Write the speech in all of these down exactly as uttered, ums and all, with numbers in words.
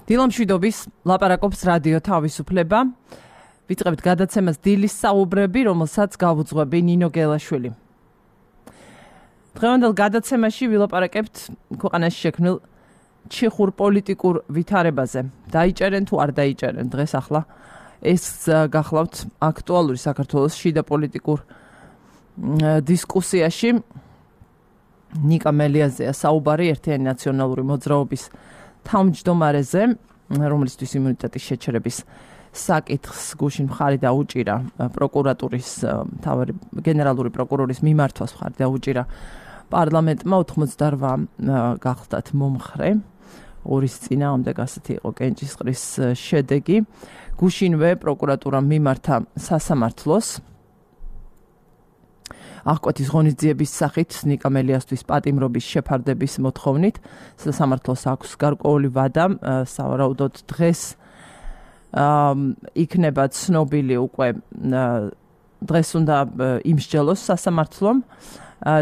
დილამშვიდობის ლაპარაკობს რადიო თავისუფლება. ვიწყებთ გადაცემას დილის საუბრები, რომელსაც გავუძღვები ნინო გელაშვილი. დღევანდელ გადაცემაში ვილაპარაკებთ ქვეყანაში შექმნილ ჩიხურ პოლიტიკურ ვითარებაზე. დაიჭერენ თუ არ დაიჭერენ დღეს ახლა ეს გახლავთ აქტუალური საქართველოს შიდა პოლიტიკურ დისკუსიაში. ნიკა მელიაზეა საუბარი ერთიანი ნაციონალური მოძრაობის თავმჯდომარეზე, რომელისთვის იმუნიტეტის შეჩერების საკითხს გუშინ მხარი დაუჭირა პროკურატურის მთავარი გენერალური პროკურორის მიმართვას მხარი დაუჭირა პარლამენტმა ოთხმოცდაორვა გახლდათ მომხრე. ორის წინააღმდეგ ასეთი იყო კენჭისყრის შედეგი. გუშინვე პროკურატურამ მიმართა სასამართლოს აღკვეთის ღონისძიების სახით ნიკა მელიასთვის პატიმრობის შეფარდების მოთხოვნით. სასამართლოს აქვს გარკვეული ვადა, სავარაუდოდ დღეს იქნება ცნობილი უკვე დღეს უნდა იმსჯელოს სასამართლომ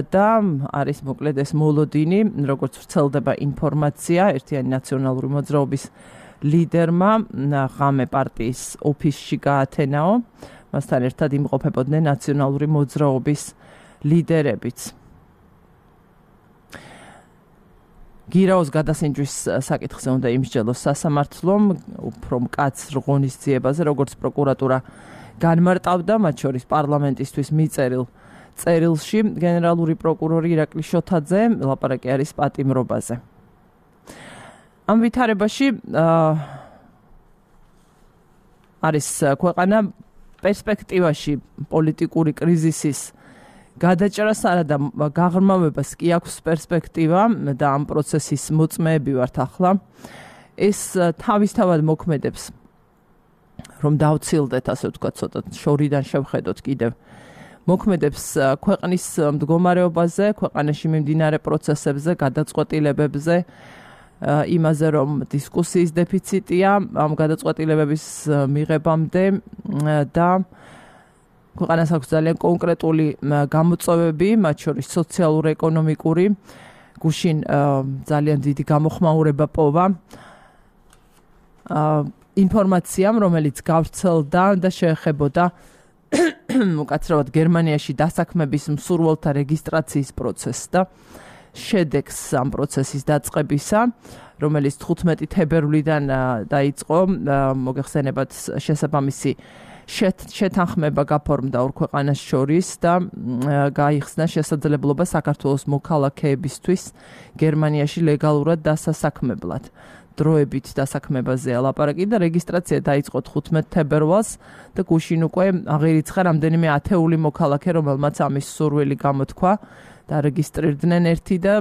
და არის მოკლედ ეს მოლოდინი, როგორც ვრცელდება ინფორმაცია, ერთიანი ნაციონალური მოძრაობის ლიდერმა ღამე პარტიის ოფისში გაათენაო, მასთან ერთად იმყოფებოდნენ ნაციონალური მოძრაობის ლიდერებიც. გირაოს გადასინჯვის საკითხზე უნდა იმსჯელოს სასამართლომ, უფრო მკაცრ ღონისძიებაზე, როგორც პროკურატურა განმარტავდა, მათ შორის პარლამენტისთვის მიწერილ წერილში გენერალური პროკურორი ირაკლი შოთაძე ლაპარაკი არის პატიმრობაზე. ამ ვითარებაში არის ქვეყანა პერსპექტივაში პოლიტიკური კრიზისის გადაჭრას არადა გაღრმავებას კი აქვს პერსპექტივა და ამ პროცესის მოწმეები ვართ ახლა. ეს თავისთავად მოქმედებს, რომ დავცილდეთ, ასე ვთქვათ, ცოტა შორიდან შევხედოთ კიდევ. მოქმედებს ქვეყნის მდგომარეობაზე, ქვეყანაში მიმდინარე პროცესებზე, გადაწყვეტილებებზე, იმაზე, რომ დისკუსიის დეფიციტია ამ გადაწყვეტილებების მიღებამდე და ქვეყანას აქვს ძალიან კონკრეტული გამოწვევები, მათ შორის სოციალურ-ეკონომიკური. გუშინ ძალიან დიდი გამოხმაურება პოვა ინფორმაციამ, რომელიც გავრცელდა და შეეხებოდა უკაცრავად გერმანიაში დასაქმების მსურველთა რეგისტრაციის პროცესს და შედეგს ამ პროცესის დაწყებისა, რომელიც თხუთმეტი თებერვლიდან დაიწყო, მოგეხსენებათ შესაბამისი შეთანხმება გაფორმდა ორ ქვეყანას შორის და გაიხსნა შესაძლებლობა საქართველოს მოქალაქეებისთვის გერმანიაში ლეგალურად დასასაქმებლად. დროებით დასაქმებაზეა ლაპარაკი და რეგისტრაცია დაიწყო თხუთმეტ თებერვალს და გუშინ უკვე აღირიცხა რამდენიმე ათეული მოქალაქე, რომელმაც ამის სურვილი გამოთქვა და რეგისტრირდნენ ერთი და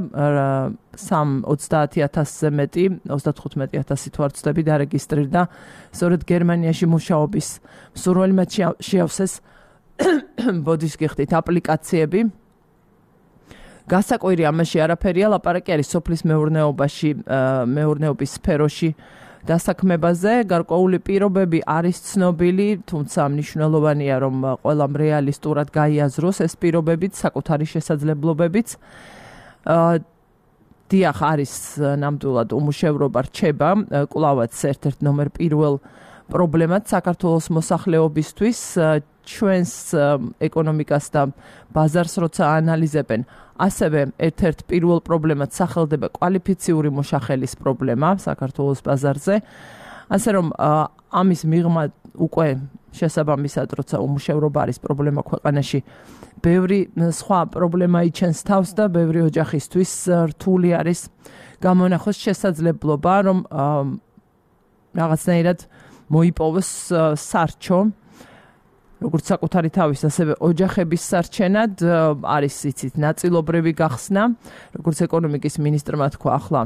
სამ ოცდაათი ათასზე მეტი, ოცდათხუთმეტი ათასი თუ არ ვცდები დარეგისტრირდა სწორედ გერმანიაში მუშაობის მსურველი, მათ შეავსეს ბოდის გიხდით აპლიკაციები. გასაკვირი ამაში არაფერია, ლაპარაკი არის სოფლის მეურნეობაში, მეურნეობის სფეროში დასაქმებაზე. გარკვეული პირობები არის ცნობილი, თუმცა მნიშვნელოვანია, რომ ყველამ რეალისტურად გაიაზროს ეს პირობებიც, საკუთარი შესაძლებლობებიც. დიახ, არის ნამდვილად უმუშევრობა რჩება, კვლავაც ერთ-ერთ ნომერ პირველ პრობლემად საქართველოს მოსახლეობისთვის. ჩვენს ეკონომიკას და ბაზარს როცა ანალიზებენ, ასევე ერთ-ერთ პირველ პრობლემად სახელდება კვალიფიციური მოშახელის პრობლემა საქართველოს ბაზარზე. ასე რომ ამის მიღმა უკვე შესაბამისად, როცა უმუშევრობა არის პრობლემა ქვეყანაში, ბევრი სხვა პრობლემა იჩენს თავს და ბევრი ოჯახისთვის რთული არის გამონახოს შესაძლებლობა, რომ რაღაცნაირად მოიპოვოს სარჩო, როგორც საკუთარი თავის, ასევე ოჯახების სარჩენად არის იცით ნაწილობრივი გახსნა, როგორც ეკონომიკის მინისტრმა თქვა ახლა,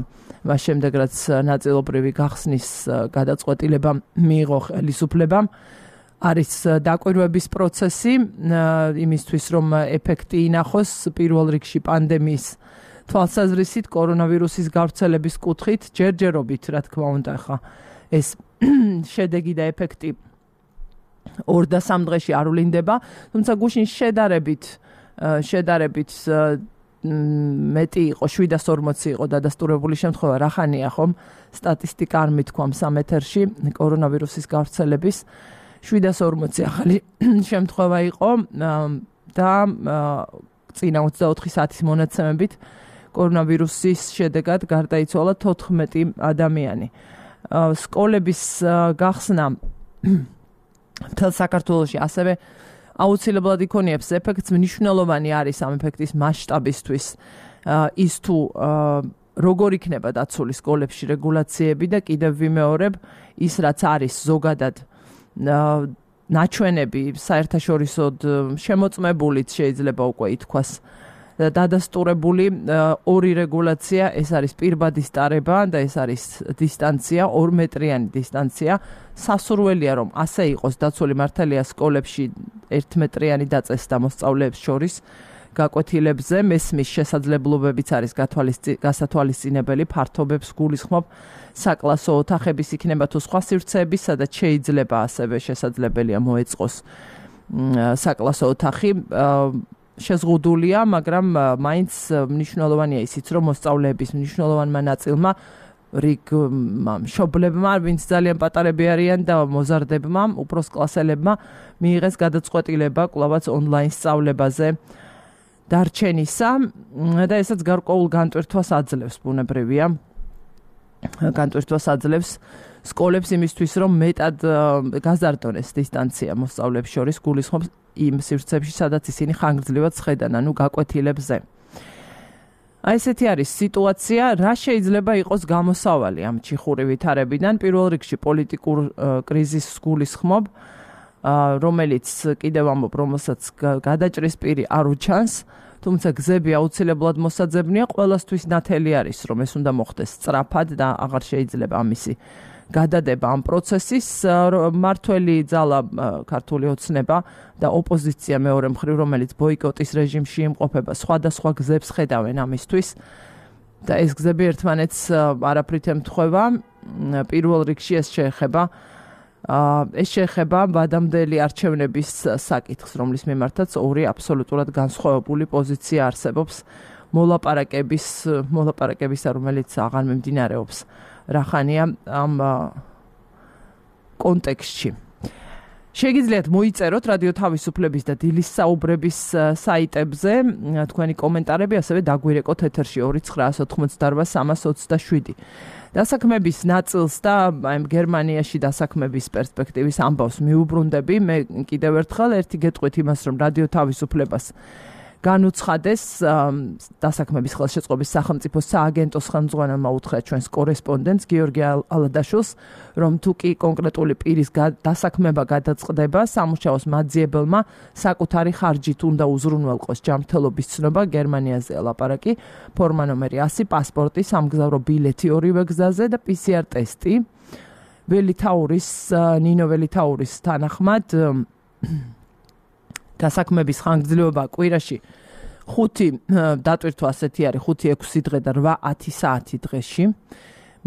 მას შემდეგ რაც ნაწილობრივი გახსნის გადაწყვეტილება მიიღო ხელისუფლებამ, არის დაკვირვების პროცესი იმისთვის, რომ ეფექტი ინახოს პირველ რიგში პანდემიის თვალსაზრისით, კორონავირუსის გავრცელების კუთხით, ჯერჯერობით, რა თქმა უნდა, ხა ეს შედეგი და ეფექტი ორ და სამ დღეში არ ვლინდება, თუმცა გუშინ შედარებით შედარებით მეტი იყო შვიდას ორმოცი იყო დადასტურებული შემთხვევა რა ხანია ხომ სტატისტიკა არ მithქვამ სამეთერში კორონავირუსის გავრცელების შვიდას ორმოცი ახალი შემთხვევა იყო და წინა ოცდაოთხი საათის მონაცემებით კორონავირუსის შედეგად გარდაიცვალა თოთხმეტი ადამიანი. სკოლების გახსნა მთელ საქართველოში ასევე აუცილებლად იქონიებს ეფექტს, მნიშვნელოვანი არის ამ ეფექტის მასშტაბისთვის ის თუ როგორ იქნება დაცული სკოლებში რეგულაციები და კიდევ ვიმეორებ ის რაც არის ზოგადად ნაჩვენები საერთაშორისოდ შემოწმებულიც შეიძლება უკვე ითქვას დადასტურებული ორი რეგულაცია, ეს არის პირბადის ტარება და ეს არის დისტანცია, ორმეტრიანი დისტანცია. სასურველია რომ ასე იყოს დაცული მართალია სკოლებში ერთმეტრიანი დაწესდა მოსწავლეებს შორის გაკვეთილებზე, მესმის შესაძლებლობებიც არის გასათვალისწინებელი, ფართობებს გულისხმობ საკლასო ოთახების იქნება თუ სხვა სივრცეები, სადაც შეიძლება ასევე შესაძლებელია მოეწყოს საკლასო ოთახი. შეზღუდულია, მაგრამ მაინც მნიშვნელოვანია ისიც, რომ მოსწავლეების მნიშვნელოვანმა ნაწილმა რიგ მშობლებმა, ვინც ძალიან პატარები არიან და მოზარდებმა, უფროს კლასელებმა მიიღეს გადაწყვეტილება კვლავაც ონლაინ სწავლებაზე დარჩენისა და ესაც გარკვეულ განტვირთვას აძლევს, ბუნებრივია. განტვირთვას აძლევს სკოლებს იმისთვის, რომ მეტად გაზარდონეს დისტანცია მოსწავლეებს შორის, გულისხმობს იმ სივრცეებში, სადაც ისინი ხანგრძლივად სხედან, ანუ გაკვეთილებზე. აი ესეთი არის სიტუაცია, რა შეიძლება იყოს გამოსავალი ამ ჩიხური ვითარებიდან. პირველ რიგში პოლიტიკურ კრიზისს გულისხმობ, რომელიც კიდევ ამბობ, რომელსაც გადაჭრის პირი არ უჩანს, თუმცა გზები აუცილებლად მოსაძებნია, ყველასთვის ნათელი არის, რომ ეს უნდა მოხდეს სწრაფად და აღარ შეიძლება ამისი გადადება ამ პროცესის. მართველი ძალა ქართული ოცნება და ოპოზიცია მეორე მხრივ, რომელიც ბოიკოტის რეჟიმში იმყოფება, სხვადასხვა გზებს ხედავენ ამისთვის და ეს გზები ერთმანეთს არაფრით ემთხვევა. პირველ რიგში ეს შეეხება ეს შეეხება ვადამდელი არჩევნების საკითხს, რომლის მიმართაც ორი აბსოლუტურად განსხვავებული პოზიცია არსებობს მოლაპარაკების მოლაპარაკებისა, რომელიც აღარ მიმდინარეობს რა ხანია ამ კონტექსტში. შეგიძლიათ მოიწეროთ რადიო თავისუფლების და დილის საუბრების საიტებზე თქვენი კომენტარები, ასევე დაგვირეკოთ ეთერში ორი ცხრაას ოთხმოცდაორბა სამას ოცდაშვიდი. დასაქმების ნაწილს და აი გერმანიაში დასაქმების პერსპექტივის ამბავს მიუბრუნდები. მე კიდევ ერთხელ ერთი გეტყვით იმას, რომ რადიო თავისუფლებას განუცხადეს დასაქმების ხელშეწყობის სახელმწიფო სააგენტოს ხელმძღვანელმა უთხრა ჩვენს კორესპონდენტს გიორგი ალადაშვილს, რომ თუ კი კონკრეტული პირის დასაქმება გადაწყდება, სამუშაოს მაძიებელმა საკუთარი ხარჯით უნდა უზრუნველყოს ჯანმრთელობის ცნობა, გერმანიაზეა ლაპარაკი, ფორმა ნომერი ასი, პასპორტი, სამგზავრო ბილეთი ორივე გზაზე და პი სი არ ტესტი. ველითაურის, ნინო ველითაურის თანახმად დასაქმების ხანგრძლივობა კვირაში ხუთი დატვირთვა ასეთი არის, ხუთი ექვსი დღე და რვა ათი საათი დღეში.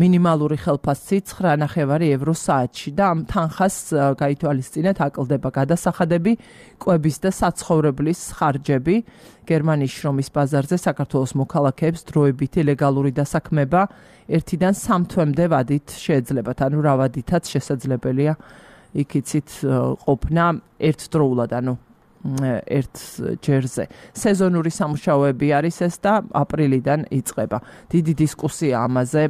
მინიმალური ხელფასი ცხრა ნახევარი ევრო საათში და ამ თანხას გაითვალისწინეთ აკლდება გადასახადები, კვების და საცხოვრებლის ხარჯები. გერმანიის შრომის ბაზარზე საქართველოს მოქალაქეებს დროებითი ლეგალური დასაქმება ერთიდან სამ თვემდე ვადით შეეძლებათ, ანუ რა ვადითაც შესაძლებელია იქიცით ყოფნა ერთდროულად, ანუ ერთ ჯერზე. სეზონური სამუშაოები არის ეს და აპრილიდან იწყება. დიდი დისკუსია ამაზე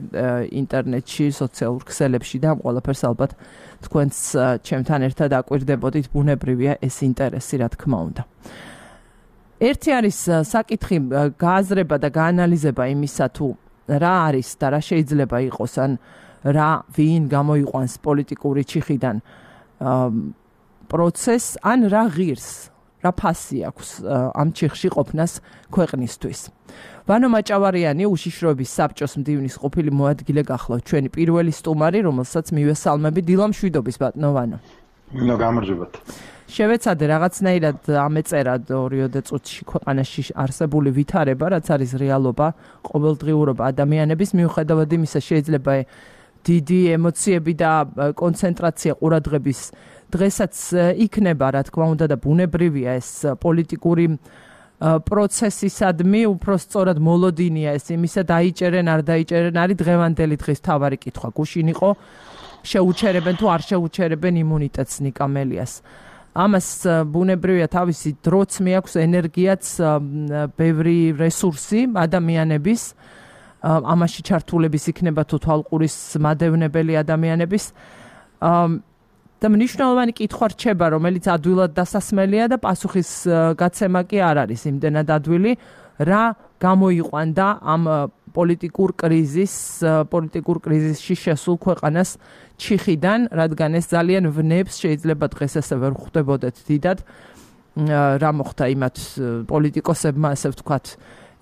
ინტერნეტში, სოციალურ ქსელებში და ყველაფერს ალბათ თქვენც ჩემთან ერთად აკვირდებოდით, ბუნებრივია ეს ინტერესი, რა თქმა უნდა. ერთი არის საკითხი გააზრება და გაანალიზება იმისა, თუ რა არის და რა შეიძლება იყოს, ან რა ვინ გამოიყვანს პოლიტიკური ჩიხიდან პროცესს, ან რა ღირს, რა ფასი აქვს ამ ჩიხში ყოფნას ქვეყნისთვის. ვანო მაჭავარიანი, უშიშროების საბჭოს მდივნის ყოფილი მოადგილე გახლავთ, ჩვენი პირველი სტუმარი, რომელსაც მივესალმები. დილა მშვიდობის ბატონო ვანო. მინდა გამარჯობათ. შევეცადე რაღაცნაირად ამეწერა ორიოდე წუთში ქვეყანაში არსებული ვითარება, რაც არის რეალობა, ყოველდღიურობა ადამიანების, მიუხედავად იმისა შეიძლება დიდი ემოციები და კონცენტრაცია ყურადღების დღესაც იქნება, რა თქმა უნდა, და ბუნებრივია ეს პოლიტიკური პროცესისადმი უფრო სწორად მოლოდინია ეს იმისა დაიჭერენ არ დაიჭერენ არის დღევანდელი დღის თავარი კითხვა. გუშინ იყო შეუჩერებენ თუ არ შეუჩერებენ იმუნიტეტს ნიკა მელიას. ამას ბუნებრივია თავისი დროც მიაქვს ენერგიაც ბევრი რესურსი ადამიანების ამაში ჩართულების იქნება თუ თვალყურის მადევნებელი ადამიანების და მნიშვნელოვანი კითხვა რჩება, რომელიც ადვილად დასასმელია და პასუხის გაცემა კი არ არის იმდენად ადვილი, რა გამოიყვანდა ამ პოლიტიკურ კრიზის, პოლიტიკურ კრიზისში შესულ ქვეყანას ჩიხიდან, რადგან ეს ძალიან ვნებს შეიძლება დღეს ესე ვერ ხვდებოდეთ დიდად, რა მოხდა იმათ პოლიტიკოსებმა, ასე ვთქვათ,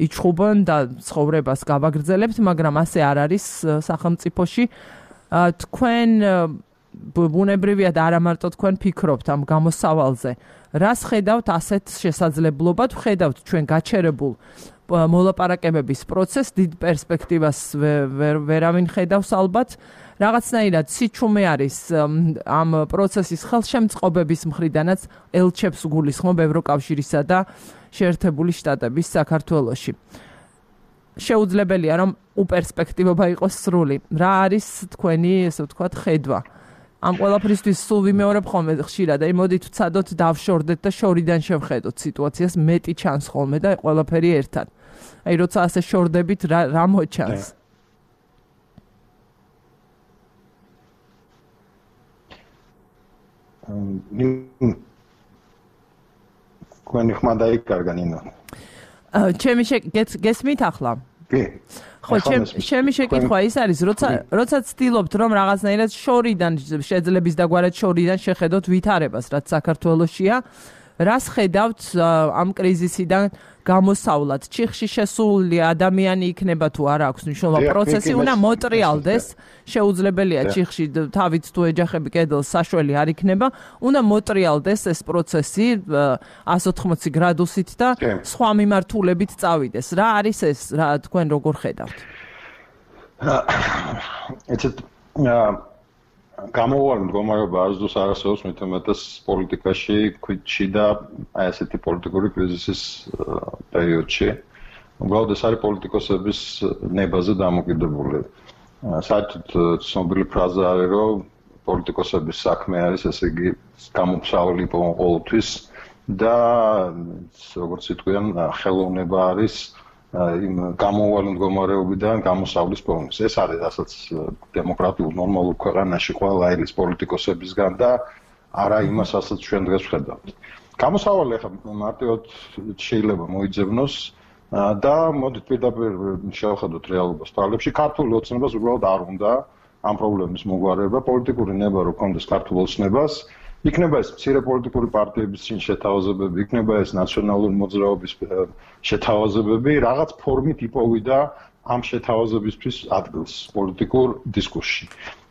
იჩხუბონ და ცხოვრებას გავაგრძელებთ, მაგრამ ასე არ არის სახელმწიფოში. თქვენ ბუნებრივია და არა მარტო თქვენ ფიქრობთ ამ გამოსავალზე. რას ხედავთ ასეთ შესაძლებლობად? ხედავთ ჩვენ გაჩერებულ მოლაპარაკებების პროცესს, დიდ პერსპექტივას ვერავინ ხედავს ალბათ. რაღაცნაირად სიჩუმე არის ამ პროცესის ხელშემწყობების მხრიდანაც ელჩებს გულისხმობ ევროკავშირისა და შეერთებული შტატების საქართველოში. შეუძლებელია რომ უპერსპექტივობა იყოს სრული. რა არის თქვენი, ესე ვთქვათ, ხედვა? ამ ყველაფრისთვის სულ ვიმეორებ ხოლმე ხშირად, აი მოდით ვცადოთ დავშორდეთ და შორიდან შევხედოთ სიტუაციას, მეტი ჩანს ხოლმე და ყველაფერი ერთად. აი როცა ასე შორდებით რა რა მოჩანს? თქვენი ხმა დაიკარგა ნინო. ჩემი გესმით ახლა? კი. ხო, ჩემი შეკითხვა ის არის, როცა როცა ცდილობთ რომ რაღაცნაირად შორიდან შეძლების დაგვარად შორიდან შეხედოთ ვითარებას, რაც საქართველოშია, რას ხედავთ ამ კრიზისიდან გამოსავლად? ჩიხში შესული ადამიანი იქნება თუ არა აქვს მნიშვნელობა, პროცესი უნდა მოტრიალდეს, შეუძლებელია ჩიხში თავით თუ ეჯახები კედელს საშველი არ იქნება, უნდა მოტრიალდეს ეს პროცესი εκατόν ოთხმოცი გრადუსით და სხვა მიმართულებით წავიდეს. რა არის ეს, რა თქვენ როგორ ხედავთ? ეცეთ გამოუვალ მდგომარეობა არასდროს არ არსებობს მით უმეტეს პოლიტიკაში, ქვიტში და აი ესეთი პოლიტიკური კრიზისის პერიოდში. უბრალოდ ეს არის პოლიტიკოსების ნებაზე დამოკიდებული. საერთოდ ცნობილი ფრაზა არის, რომ პოლიტიკოსების საქმე არის, ესე იგი, გამოψავლი ყოველთვის და როგორც იტყვიან, ხელოვნება არის იმ გამოუვალ მდგომარეობიდან გამოსავლის პოვნის. ეს არის რასაც დემოკრატიულ ნორმალურ ქვეყანაში ყველა ელის პოლიტიკოსებისგან და არა იმას, რასაც ჩვენ დღეს ვხედავთ. გამოსავალი ახლა მარტივად შეიძლება მოიძებნოს და მოდით პირდაპირ შევხედოთ რეალობას თვალებში. ქართული ოცნებას უბრალოდ არ უნდა ამ პრობლემის მოგვარება, პოლიტიკური ნება რო კონდეს ქართულ ოცნებას. იქნება ეს მცირე პოლიტიკური პარტიების წინ შეთავაზებები, იქნება ეს ნაციონალური მოძრაობის შეთავაზებები, რაღაც ფორმით იპოვიდა ამ შეთავაზებისთვის ადგილს პოლიტიკურ დისკურსში.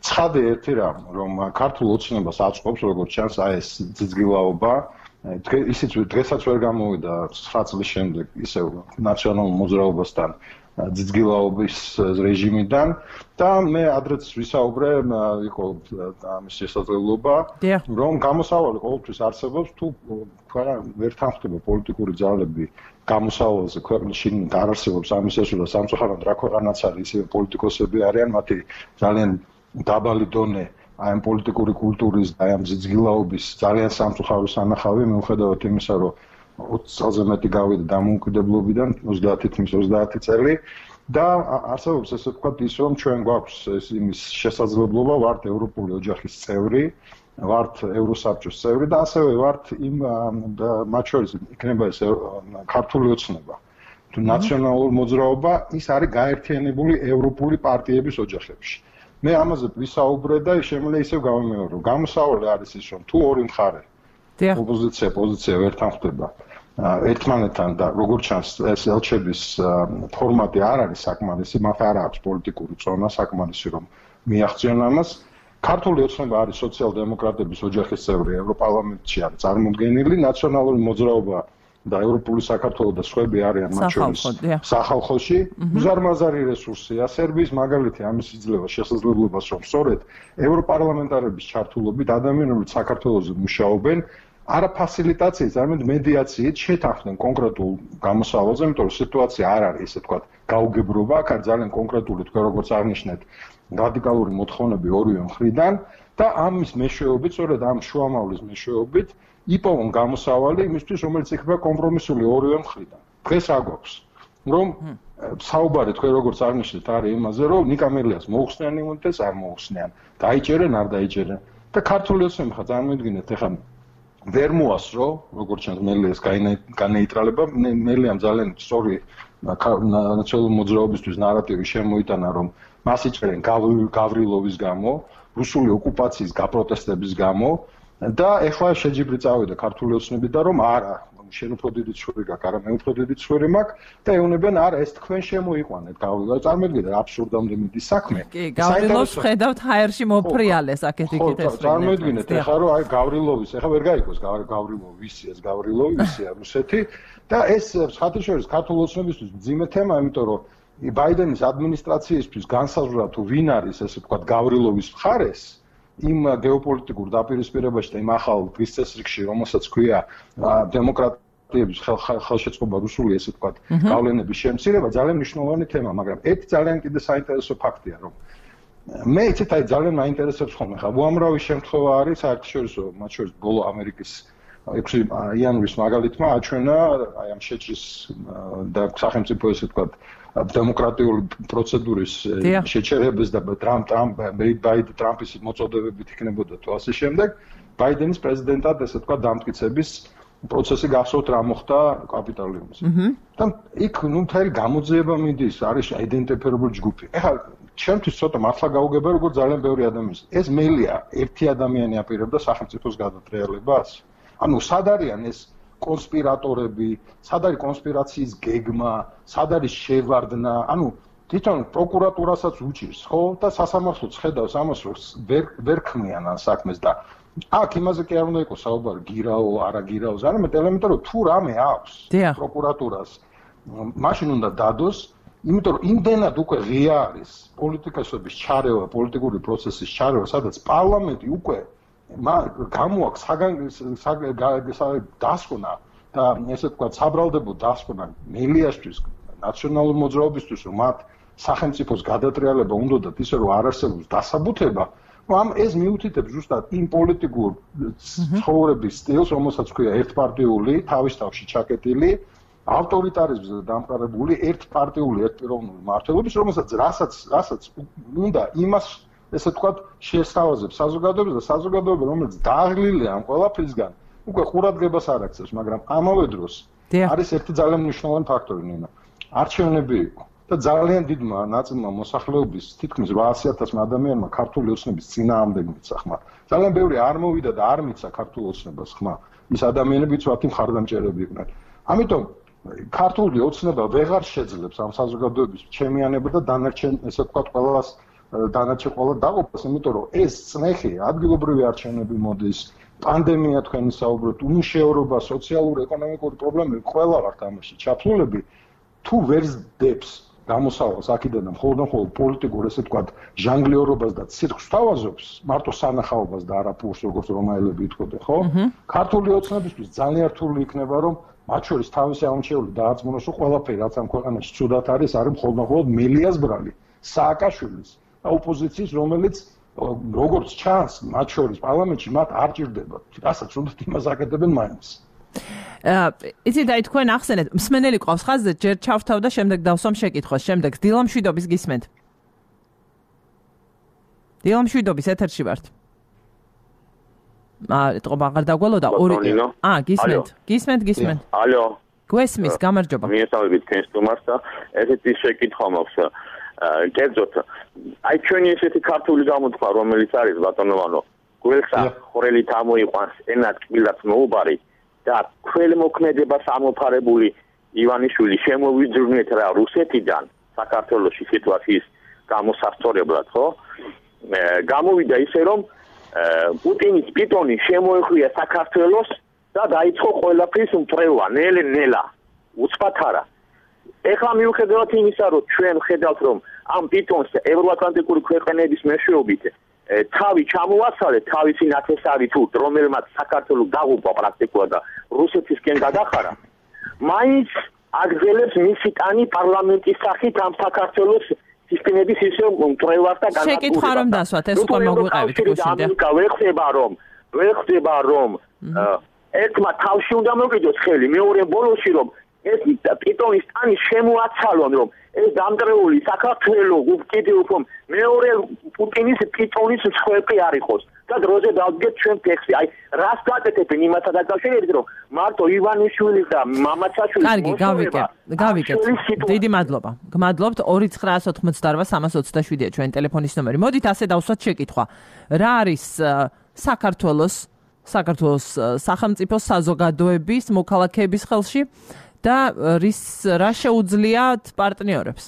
ცხადია ერთი რამ, რომ ქართულ ოცნებას აწყობს, როგორც ჩანს, აი ეს ძიძგილაობა, ისიც დღესაც ვერ გამოვიდა ცხრა წლის შემდეგ ისევ ნაციონალურ მოძრაობასთან ძიძგილაობის რეჟიმიდან და მე ადრეც ვისაუბრე, იყო ამის შესაძლებლობა, რომ გამოსავალი ყოველთვის არსებობს, თუ ვერ თანხდება პოლიტიკური ძალები გამოსავალზე ქვეყნში არ არსებობს ამის შესრულება სამწუხაროდ რა ქვეყანაც არის, ისე პოლიტიკოსები არიან, მათი ძალიან დაბალი დონე აი ამ პოლიტიკური კულტურის და აი ამ ძიძგილაობის ძალიან სამწუხარო სანახავი, მიუხედავად იმისა, რომ ოცი წელზე მეტი გავიდა დამოუკიდებლობიდან, ოცდაათი თვლის ოცდაათი წელი და არსებობს ესე ვთქვათ ის, რომ ჩვენ გვაქვს ეს იმის შესაძლებლობა, ვართ ევროპული ოჯახის წევრი, ვართ ევროსაბჭოს წევრი და ასევე ვართ იმ მათ შორის იქნება ეს ქართული ოცნება. თუ ნაციონალური მოძრაობა, ის არის გაერთიანებული ევროპული პარტიების ოჯახებში. მე ამაზე ვისაუბრე და შემიძლია ისევ გავიმეორო. გამოსავალი არის ის, რომ თუ ორი მხარე ოპოზიცია, პოზიცია ვერ თანხმდება ერთმანეთთან და როგორც ჩანს ეს ელჩების ფორმატი არ არის საკმარისი, მათ არ აქვს პოლიტიკური წონა საკმარისი რომ მიაღწიონ ამას. ქართული ოცნება არის სოციალ-დემოკრატების ოჯახის წევრი, ევროპარლამენტში არის წარმოდგენილი, ნაციონალური მოძრაობა და ევროპული საქართველო და სხვები არიან მათ შორის სახალხოში. უზარმაზარი რესურსია, სერბიის მაგალითი ამის იძლევა შესაძლებლობას, რომ სწორედ ევროპარლამენტარების ჩართულობით ადამიანები საქართველოზე მუშაობენ, არა ფასილიტაციით, არამედ მედიაციით შეთანხმდნენ კონკრეტულ გამოსავალზე, იმიტომ რომ სიტუაცია არ არის ესე ვთქვათ გაუგებრობა, აქ არის ძალიან კონკრეტული თქვენ როგორც აღნიშნეთ, რადიკალური მოთხოვნები ორივე მხრიდან და ამის მეშვეობით, სწორედ ამ შუამავლის მეშვეობით იპოვონ გამოსავალი იმისთვის, რომელიც იქნება კომპრომისული ორივე მხრიდან. დღეს აგვაქვს, რომ საუბარი თქვენ როგორც აღნიშნეთ არის იმაზე, რომ ნიკამელიას მოუხსნიან იმუნიტეტს, არ მოუხსნიან, დაიჭერენ, არ დაიჭერენ და ქართული ოცნები ხა წარმოიდგინეთ, ეხლა ვერ მოასრო, როგორც ჩანს მელიას განეიტრალება, მელიამ ძალიან სწორი ნაციონალური მოძრაობისთვის ნარატივი შემოიტანა, რომ მას იჭერენ გავრილოვის გამო, რუსული ოკუპაციის გაპროტესტების გამო და ეხლა შეჯიბრი წავიდა ქართული ოცნებიდან, რომ არა, შენ უფრო დიდი ცხვირი გაქვს, არა მე უფრო დიდი ცხვირი მაქვს და ეუბნებიან, არა, ეს თქვენ შემოიყვანეთ გავრილოვს. წარმოიდგინეთ, აბსურდამდე მიდის საქმე. კი, გავრილოვს ხედავთ ჰაერში მოფრიალეს აქეთ იქით ეს. წარმოიდგინეთ, ეხლა რომ აი გავრილოვის, ეხლა ვერ გაიგოს გავრილოვი ვისია, ეს გავრილოვი ვისია რუსეთი და ეს ხათაშორის ქართული ოცნებისთვის მძიმე თემა, იმიტომ რომ ბაიდენის ადმინისტრაციისთვის განსაზღვრა თუ ვინ არის ესე ვთქვათ გავრილოვის მხარეს იმ გეოპოლიტიკურ დაპირისპირებაში და იმ ახალ დღის წესრიგში, რომელსაც ქვია დემოკრატიების ხელშეწყობა რუსული ესე ვთქვათ გავლენების შემცირება, ძალიან მნიშვნელოვანი თემა, მაგრამ ერთ ძალიან კიდე საინტერესო ფაქტია, რომ მე იცით აი ძალიან მაინტერესებს ხოლმე ხა უამრავი შემთხვევა არის საერთაშორისო, მათ შორის ბოლო ამერიკის ექვსი იანვრის მაგალითმა აჩვენა აი ამ შეჭრის და სახელმწიფო ესე ვთქვათ დემოკრატიული პროცედურის შეჩერებას და ტრამპ ტრამპ ბაიდენ ტრამპის მოწოდებებით იქნებოდა თუ ასე შემდეგ ბაიდენის პრეზიდენტად ესე ვთქვათ დამტკიცების პროცესი გახსოვთ რა მოხდა კაპიტოლიუმზე. და იქ ნუ მთელი გამოძიება მიდის, არის აიდენტიფიცირებული ჯგუფი. ეხლა ჩემთვის ცოტა მართლა გაუგება როგორც ძალიან ბევრი ადამიანი. ეს მელია ერთი ადამიანი აპირებდა სახელმწიფოს გადატრიალებას. ანუ სად არიან ეს კონსპირატორები, სად არის კონსპირაციის გეგმა, სად არის შევარდნა, ანუ თვითონ პროკურატურასაც უჭირს, ხო? და სასამართლოც ხედავს ამას, რომ ვერ ვერ ქმნიან ამ საქმეს და აქ იმაზე კი არ უნდა იყოს საუბარი გირაო, არა გირაოს, არამედ ელემენტარულად თუ რამე აქვს პროკურატურას, მაშინ უნდა დადოს, იმიტომ რომ იმდენად უკვე ღია არის პოლიტიკოსების ჩარევა, პოლიტიკური პროცესის ჩარევა, სადაც პარლამენტი უკვე გამოაქვს დასკვნა და ესე ვთქვათ საბრალდებო დასკვნა მელიასთვის, ნაციონალურ მოძრაობისთვის, რომ მათ სახელმწიფოს გადატრიალება უნდათ ისე რომ არ არსებობს დასაბუთება, ამ ეს მიუთითებს ზუსტად იმ პოლიტიკურ ცხოვრების სტილს, რომელსაც ქვია ერთპარტიული, თავის თავში ჩაკეტილი, ავტორიტარიზმზე დამყარებული, ერთპარტიული, ერთპიროვნული მმართველობის, რომელსაც რასაც რასაც უნდა იმას ესე ვთქვათ შეესთავაზებს საზოგადოებას და საზოგადოება რომელიც დაღლილია ამ ყველაფრისგან უკვე ყურადღებას არ აქცევს, მაგრამ ამავე დროს არის ერთი ძალიან მნიშვნელოვანი ფაქტორი ნინო. არჩევნები იყო და ძალიან დიდმა ნაწილმა მოსახლეობის თითქმის რვაასი ათასმა ადამიანმა ქართული ოცნების წინააღმდეგ მიცა ხმა. ძალიან ბევრი არ მოვიდა და არ მიცა ქართულ ოცნებას ხმა. ის ადამიანებიც ვათი მხარდამჭერები იყვნენ. ამიტომ ქართული ოცნება ვეღარ შეძლებს ამ საზოგადოების ჩემიანება და დანარჩენ ესე ვთქვათ ყველას დანარჩენ ყველა დაყოფას, იმიტომ რომ ეს წნეხი ადგილობრივი არჩევნები მოდის, პანდემია თქვენი საუბრობთ, უმუშევრობა, სოციალური, ეკონომიკური პრობლემები, ყველა ვართ ამაში ჩაფლულები, თუ ვერ ზდებს გამოსავალს აქედან და მხოლოდ მხოლოდ პოლიტიკურ ესე ვთქვათ ჟანგლიორობას და ცირკს თავაზობს, მარტო სანახაობას და არა პურს, როგორც რომაელები იტყოდნენ, ხო? ქართული ოცნებისთვის ძალიან რთული იქნება, რომ მათ შორის თავისი აღმოჩენილი დააწმუნოს, რომ ყველაფერი რაც ამ ქვეყანაში ცუდად არის, არის მხოლოდ მხოლოდ მელიას ბრალი, სააკაშვილის ოპოზიციის, რომელიც როგორც ჩანს, მათ შორის პარლამენტში მათ არ ჭირდება. რასაც უნდა იმას აკეთებენ მაინც. იცით, აი თქვენ ახსენეთ, მსმენელი ყავს ხაზზე, ჯერ ჩავთავ და შემდეგ დავსვამ შეკითხვას. შემდეგ დილამშვიდობის გისმენთ. დილამშვიდობის ეთერში ვართ. აა, ეთყობა აღარ დაგველოდა ორი. აა, გისმენთ. გისმენთ, გისმენთ. ალო. გვესმის, გამარჯობა. მიესალმებით თქვენს სტუმარს და ესეთი შეკითხვა მაქვს. კერძოდ, აი ჩვენი ესეთი ქართული გამოთქვა, რომელიც არის ბატონოვანო, გველსა ხვრელით ამოიყვანს ენად კბილად მოუბარი და ქველმოქმედებას ამოფარებული ივანიშვილი შემოვიძრუნეთ რა რუსეთიდან საქართველოში სიტუაციის გამოსასწორებლად, ხო? გამოვიდა ისე რომ პუტინის პიტონი შემოეხვია საქართველოს და დაიწყო ყველაფრის მწრევა, ნელ-ნელა, უცბად არა. ეხლა მიუხედავად იმისა, რომ ჩვენ ხედავთ, რომ ამ პიტონს ევროატლანტიკური ქვეყნების მეშვეობით თავი ჩამოაცალეთ თავისი ნათესავი თუ რომელმაც საქართველოს დაღუპვა პრაქტიკულად და რუსეთისკენ გადახარა მაინც აგრძელებს მისი ტანი პარლამენტის სახით ამ საქართველოს სისტემების ისე მკვლევარს და განადგურებას. შეკითხვა რომ დასვათ, ეს უკვე მოგვიყევით გუშინდა. ვერ ხდება რომ ვერ ხდება რომ ერთმა თავში უნდა მოკიდოს ხელი, მეორე ბოლოში რომ ეს პიტონის ტანი შემოაცალონ რომ ეს დამტრეული საქართველოს კიდევ უფრო მეორე პუტინის პიტონის მსხვერპლი არ იყოს. და დროზე დავდგეთ ჩვენ ტექსტი. აი, რას გაკეთებენ იმათა დაკავშირებით, რომ მარტო ივანიშვილის და მამაცაშვილის კარგი, გავიკეთ, გავიკეთ. დიდი მადლობა. გმადლობთ ორი ცხრაას ოთხმოცდაოთხ სამას ოცდაშვიდია ჩვენ ტელეფონის ნომერი. მოდით ასე დავსვათ შეკითხვა. რა არის საქართველოს საქართველოს სახელმწიფო საზოგადოების მოქალაქეების ხელში და რის რა შეუძლიათ პარტნიორებს?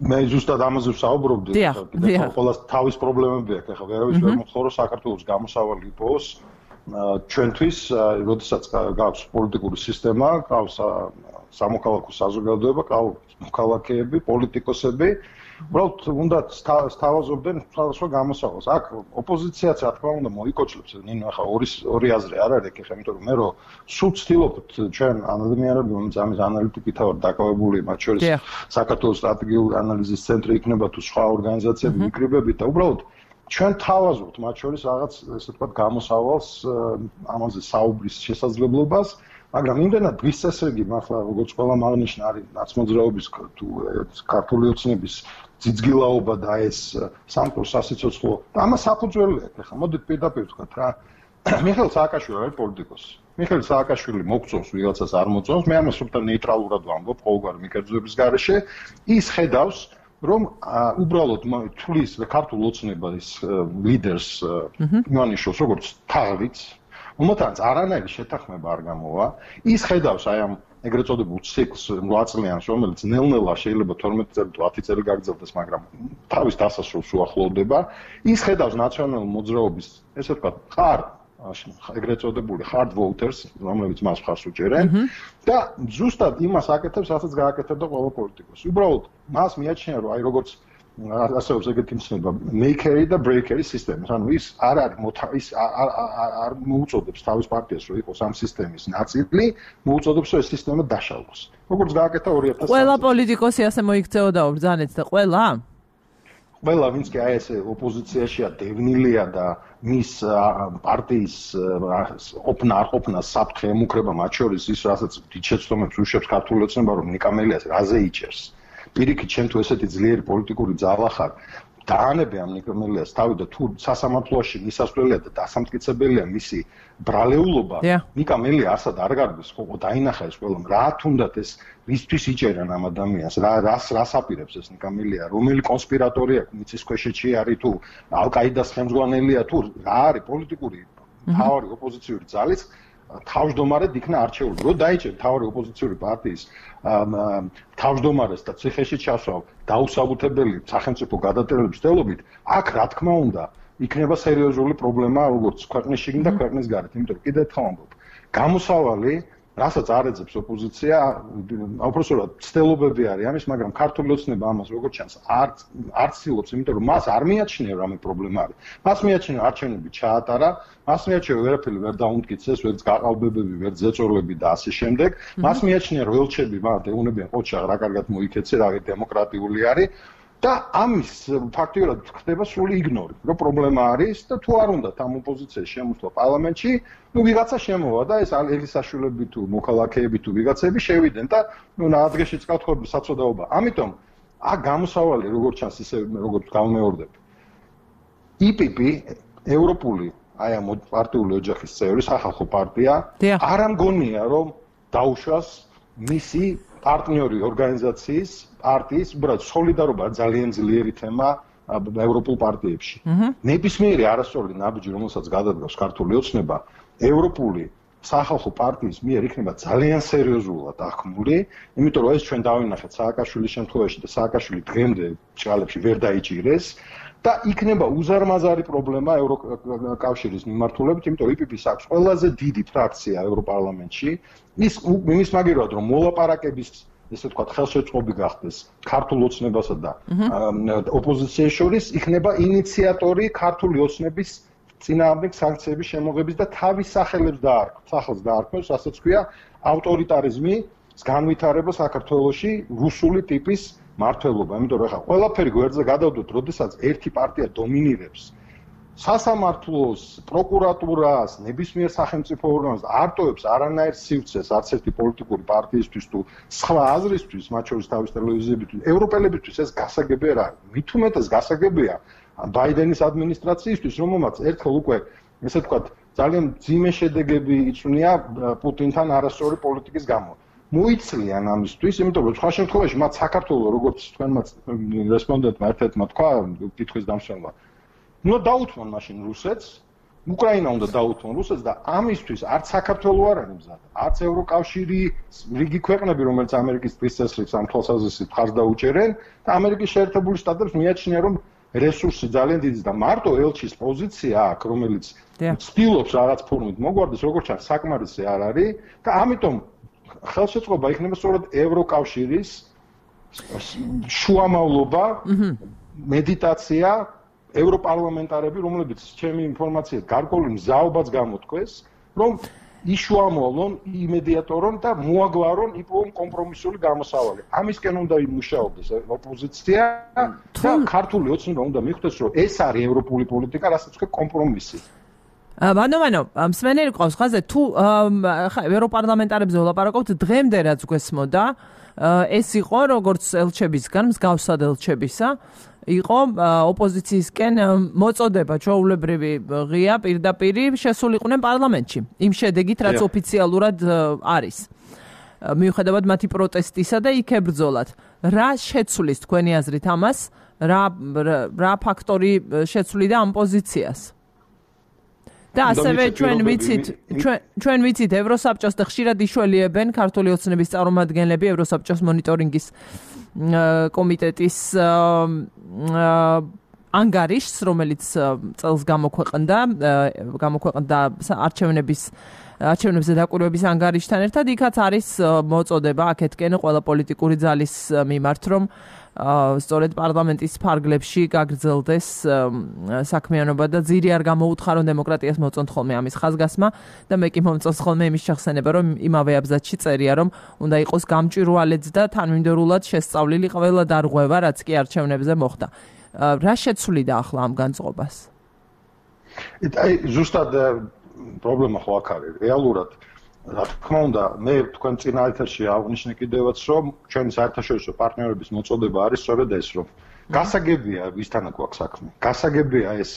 მე ზუსტად ამაზე ვსაუბრობდი, ყველას თავის პრობლემები აქვს. ეხლა ვერავის ვერ მოხდა რომ საქართველოს გამოსავალი იყოს ჩვენთვის, როდესაც გაქვს პოლიტიკური სისტემა, გაქვს სამოქალაქო საზოგადოება, გაქვს მოქალაქეები, პოლიტიკოსები, უბრალოდ უნდა სთავაზობდნენ სხვადასხვა გამოსავალს. აქ ოპოზიციაც რა თქმა უნდა მოიკოჩლებს, ნინო ახლა ორი ორი აზრი არ არის ეხლა, იმიტომ რომ მე რომ სულ ვცდილობთ ჩვენ ადამიანები, რომელიც ამის ანალიტიკით ვარ დაკავებული, მათ შორის საქართველოს სტრატეგიული ანალიზის ცენტრი იქნება თუ სხვა ორგანიზაციები ვიკრიბებით და უბრალოდ ჩვენ თავაზობთ მათ შორის რაღაც ესე ვთქვათ გამოსავალს ამაზე საუბრის შესაძლებლობას, მაგრამ იმდენად დღის წესრიგი მართლა როგორც ყველა აღნიშნა არის ნაცმოძრაობის თუ ქართული ოცნების ძიძგილაობა და ეს სამყარო სასიცოცხლო და ამას საფუძველი აქვს. ახლა მოდით პირდაპირ ვთქვათ რა მიხეილ სააკაშვილი არის პოლიტიკოსი. მიხეილ სააკაშვილი მოგწონს ვიღაცას არ მოწონს, მე ამას უბრალოდ ნეიტრალურად ვამბობ ყოველგვარი მიკერძოების გარეშე. ის ხედავს რომ უბრალოდ თulis ქართულ ოცნების ლიდერს ივანიშვილს როგორც თაღლიც უმოთანაც არანაირი შეთანხმება არ გამოვა. ის ხედავს აი ამ ეგრეთ წოდებულ ციკლს რვა წლიანს, რომელიც ნელ-ნელა შეიძლება თორმეტი წელი თუ ათი წელი გაგრძელდეს, მაგრამ თავის დასასრულს უახლოვდება. ის ხედავს ნაციონალურ მოძრაობის, ესე ვთქვათ, ხარ ეგრეთ წოდებული hard voters, რომლებიც მას მხარს უჭერენ და ზუსტად იმას აკეთებს, რასაც გააკეთებდა ყველა პოლიტიკოსი. უბრალოდ მას მიაჩნია, რომ აი როგორც ასეობს ეგეთი მცნება maker-ი და breaker-ი სისტემის. ანუ ის არ არის ის არ მოუწოდებს თავის პარტიას, რომ იყოს ამ სისტემის ნაწილი, მოუწოდებს, რომ ეს სისტემა დაშალოს. როგორც გააკეთა ორი ათას. ყველა პოლიტიკოსი ასე მოიქცეოდა ბრძანეთ და ყველა? ყველა ვინც კი აი ესე ოპოზიციაშია დევნილია და მის პარტიის ყოფნა არ ყოფნა საფრთხე ემუქრება, მათ შორის ის, რასაც დიდ შეცდომებს უშვებს ქართული ოცნება, რომ ნიკამელიას რაზე იჭერს. პირიქით, შენ თუ ესეთი ძლიერი პოლიტიკური ძალა ხარ, დაანებე ამ ნიკამელიას თავი და თუ სასამართლოში მისასვლელია და დასამტკიცებელია მისი ბრალეულობა, ნიკამელია არსად არ გარბის, ხო, დაინახა ეს ყველამ, რა თუნდაც ეს რისთვის იჭერან ამ ადამიანს, რა რას რას აპირებს ეს ნიკამელია, რომელი კონსპირატორია მიწის ქვეშეთში არის თუ ალ-ყაიდას ხელმძღვანელია თუ რა არის პოლიტიკური მთავარი ოპოზიციური ძალის თავმჯდომარედ იქნა არჩეული. რო დაიჭერ მთავარი ოპოზიციური პარტიის თავმჯდომარეს და ციხეში ჩასვავ დაუსაბუთებელი სახელმწიფო გადატრიალების დელობით, აქ რა თქმა უნდა იქნება სერიოზული პრობლემა როგორც ქვეყნის შიგნით და ქვეყნის გარეთ. იმიტომ რომ კიდევ ერთხელ ვამბობ, გამოსავალი რასაც არ ეძებს ოპოზიცია, უბრალოდ ცდილობები არის ამის, მაგრამ ქართული ოცნება ამას როგორც ჩანს არ არ ცდილობს, იმიტომ რომ მას არ მიაჩნია რამე პრობლემა არის. მას მიაჩნია არჩევნები ჩაატარა, მას მიაჩნია ვერაფერი ვერ დაუმტკიცეს, ვერც გაყალბებები, ვერც ზეწოლები და ასე შემდეგ. მას მიაჩნია რომ ველჩები მათ ეუნებიან ყოჩა რა კარგად მოიქეცე, რა დემოკრატიული არის. და ამის ფაქტიურად ხდება სრული იგნორი, რომ პრობლემა არის და თუ არ უნდა ამ ოპოზიციის შემოსვლა პარლამენტში, ну ვიღაცა შემოვა და ეს ელისაშვილები თუ მოქალაქეები თუ ვიღაცები შევიდნენ და ну ნაადრეში წკავთხები საწოდაობა. ამიტომ აქ გამოსავალი როგორც ჩანს ისე როგორც გამეორდებ. ი პი პი ევროპული აი ამ პარტიული ოჯახის წევრი სახალხო პარტია არ ამგონია რომ დაუშვას მისი პარტნიორი ორგანიზაციის პარტიის, უბრალოდ სოლიდარობა ძალიან ძლიერი თემა ევროპულ პარტიებში. ნებისმიერი არასწორი ნაბიჯი, რომელსაც გადადგავს ქართული ოცნება, ევროპული სახალხო პარტიის მიერ იქნება ძალიან სერიოზულად ახმული, იმიტომ რომ ეს ჩვენ დავინახეთ სააკაშვილის შემთხვევაში და სააკაშვილი დღემდე ჭალებში ვერ დაიჭირეს და იქნება უზარმაზარი პრობლემა ევროკავშირის მიმართულებით, იმიტომ რომ ი პი პი-ს აქვს ყველაზე დიდი ფრაქცია ევროპარლამენტში. ის იმის მაგერად რომ მოლაპარაკების ესე ვთქვათ, ხელშეწყობი გახდეს ქართულ ოცნებასა და ოპოზიციის შორის, იქნება ინიციატორი ქართული ოცნების წინააღმდეგ სანქციების შემოღების და თავის სახელებს დაარქვეს, სახელს დაარქვეს, რასაც ქვია ავტორიტარიზმი, განვითარება საქართველოში რუსული ტიპის მართლობა. იმიტომ რომ ახლა ყველაფერი გვერდზე გადავდოთ, როდესაც ერთი პარტია დომინირებს სასამართლოს, პროკურატურას, ნებისმიერ სახელმწიფო ორგანოს არტოებს არანაირ სივრცეს არც ერთი პოლიტიკური პარტიისთვის თუ სხვა აზრისთვის, მათ შორის თავის ტელევიზიებისთვის, ევროპელებისთვის ეს გასაგები არ არის. მით უმეტეს გასაგებია ბაიდენის ადმინისტრაციისთვის, რომელმაც ერთხელ უკვე, ესე ვთქვათ, ძალიან ძიმე შედეგები იწვნია პუტინთან არასწორი პოლიტიკის გამო. მოიცლიან ამისთვის, იმიტომ რომ სხვა შემთხვევაში მათ საქართველოს როგორც თქვენმა რესპონდენტმა ერთ-ერთმა თქვა, კითხვის დამსვენებლად, ნუ დაუთმონ მაშინ რუსეთს, უკრაინა უნდა დაუთმონ რუსეთს და ამისთვის არც საქართველოს არ არის მზად, არც ევროკავშირი, რიგი ქვეყნები, რომელიც ამერიკის ტყის წესრიგს ამ თვალსაზრისით მხარს დაუჭერენ და ამერიკის შეერთებული შტატებს მიაჩნია, რომ რესურსი ძალიან დიდი და მარტო ელჩის პოზიცია აქვს, რომელიც ცდილობს რაღაც ფორმით მოგვარდეს, როგორც ჩანს, საკმარისი არ არის და ამიტომ ხელშეწყობა იქნება სწორედ ევროკავშირის შუამავლობა, მედიტაცია, ევროპარლამენტარები, რომლებიც ჩემი ინფორმაციით გარკვეული მზაობაც გამოთქვეს, რომ იშუამოვლონ, იმედიატორონ და მოაგვარონ იპოვონ კომპრომისული გამოსავალი. ამისკენ უნდა იმუშაობდეს ოპოზიცია და ქართული ოცნება უნდა მიხვდეს, რომ ეს არის ევროპული პოლიტიკა, რასაც ქვია კომპრომისი. მანო მანო მსმენელი ყავს ხაზე თუ ხა ევროპარლამენტარებზე ვლაპარაკობთ დღემდე რაც გვესმოდა ეს იყო როგორც ელჩებისგან მსგავსად ელჩებისა იყო ოპოზიციისკენ მოწოდება ჩვეულებრივი ღია პირდაპირი შესულიყვნენ პარლამენტში იმ შედეგით რაც ოფიციალურად არის მიუხედავად მათი პროტესტისა და იქ ებრძოლათ რა შეცვლის თქვენი აზრით ამას რა რა ფაქტორი შეცვლიდა ამ პოზიციას და ასევე ჩვენ ვიცით ჩვენ ჩვენ ვიცით ევროსაბჭოს და ხშირად იშველიებენ ქართული ოცნების წარმომადგენლები ევროსაბჭოს მონიტორინგის კომიტეტის ანგარიშს რომელიც წელს გამოქვეყნდა გამოქვეყნდა არჩევნების არჩევნებზე დაკვირვების ანგარიშთან ერთად იქაც არის მოწოდება აქეთკენ ყველა პოლიტიკური ძალის მიმართ რომ სწორედ პარლამენტის ფარგლებში გაგრძელდეს საქმიანობა და ძირი არ გამოუთხარო დემოკრატიას მოწონთ ხოლმე ამის ხაზგასმა და მე კი მომწონს ხოლმე იმის შეხსენება რომ იმავე აბზაცში წერია რომ უნდა იყოს გამჭვირვალეც და თანმიმდევრულად შესწავლილი ყველა დარღვევა რაც კი არჩევნებზე მოხდა რა შეცვლიდა ახლა ამ განწყობას აი ზუსტად პრობლემა ხო აქ არის რეალურად რა თქმა უნდა მე თქვენ წინა ეთერში აღნიშნე კიდევაც რომ ჩვენი საერთაშორისო პარტნიორების მოწოდება არის სწორედ ეს რომ გასაგებია ვისთანა გვაქვს საქმე გასაგებია ეს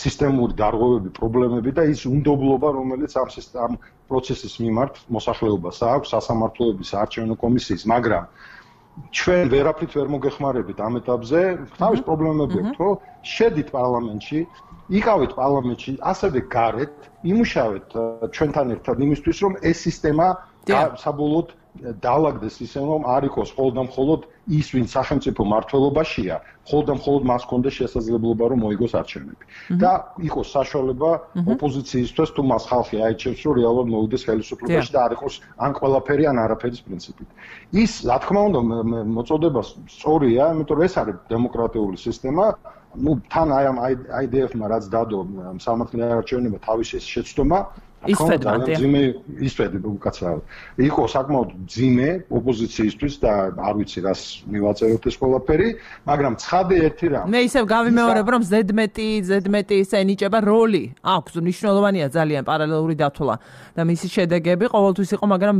სისტემური დარღვევები პრობლემები და ის უნდობლობა რომელიც ამ ამ პროცესის მიმართ მოსახლეობას აქვს სასამართლოების არჩევნო კომისიის მაგრამ ჩვენ ვერაფრით ვერ მოგეხმარებით ამ ეტაპზე თავის პრობლემები აქვს რომ შედით პარლამენტში იყავით პარლამენტში ასევე გარეთ იმუშავეთ ჩვენთან ერთად იმისთვის რომ ეს სისტემა საბოლოოდ დაალაგდეს ისე რომ არ იყოს მხოლოდ ის ვინ სახელმწიფო მართლობაშია მხოლოდ მხოლოდ მას კონდეს შესაძლებლობა რომ მოიგოს არჩევნები და იყოს საშუალება ოპოზიციისთვის თუ მას ხალხი აიჩევს რომ რეალურად მოვიდეს ხელისუფლებაში და არ იყოს ან ყველაფერი ან არაფერის პრინციპით ის რა თქმა უნდა მოწოდება სწორია იმიტომ რომ ეს არის დემოკრატიული სისტემა ну თან აი ამ აიდეეფმა რაც დადო სამართლიანი არჩევნებმა თავის შეცდომა ისწრებდა ძიმე ისწრებდა უკაცრავად იყო საკმაოდ ძიმე ოპოზიციისთვის და არ ვიცი რას მივაწეროთ ეს ყველაფერი მაგრამ ცხადე ერთი რამ მე ისევ გავიმეორებ რომ ზედმეტი ზედმეტი ისე ენიჭება როლი აქვს მნიშვნელოვანია ძალიან პარალელური დათვლა და მისი შედეგები ყოველთვის იყო მაგრამ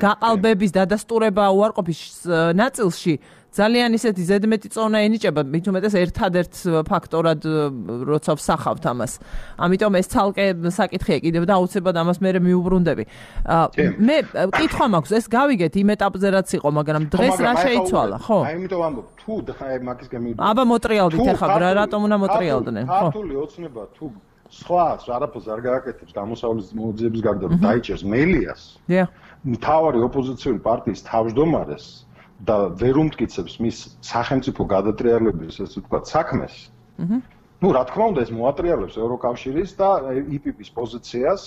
გაყალბების დადასტურება უარყოფის ნაწილში ძალიან ისეთი ზედმეტი წონა ენიჭება, მით უმეტეს ერთადერთ ფაქტორად როცა ვსახავთ ამას. ამიტომ ეს ცალკე საკითხია კიდევ და აუცილებლად ამას მე მიუბრუნდები. მე კითხვა მაქვს, ეს გავიგეთ იმ ეტაპზე რაც იყო, მაგრამ დღეს რა შეიცვალა, ხო? აი იმიტომ ვამბობ, თუ აი მაგისგან მივიდეთ. აბა მოტრიალდით ახლა, რატომ უნდა მოტრიალდნენ, ხო? ქართული ოცნება თუ სხვა არაფერს არ გააკეთებს გამოსავლის მოძიების გარდა რომ დაიჭერს მელიას. დიახ. მთავარი ოპოზიციური პარტიის თავმჯდომარეს და ვერ უმტკიცებს მის სახელმწიფო გადატრიალების ესე ვთქვათ საქმეს. აჰა. ნუ რა თქმა უნდა ეს მოატრიალებს ევროკავშირის და ი პი პის პოზიციას,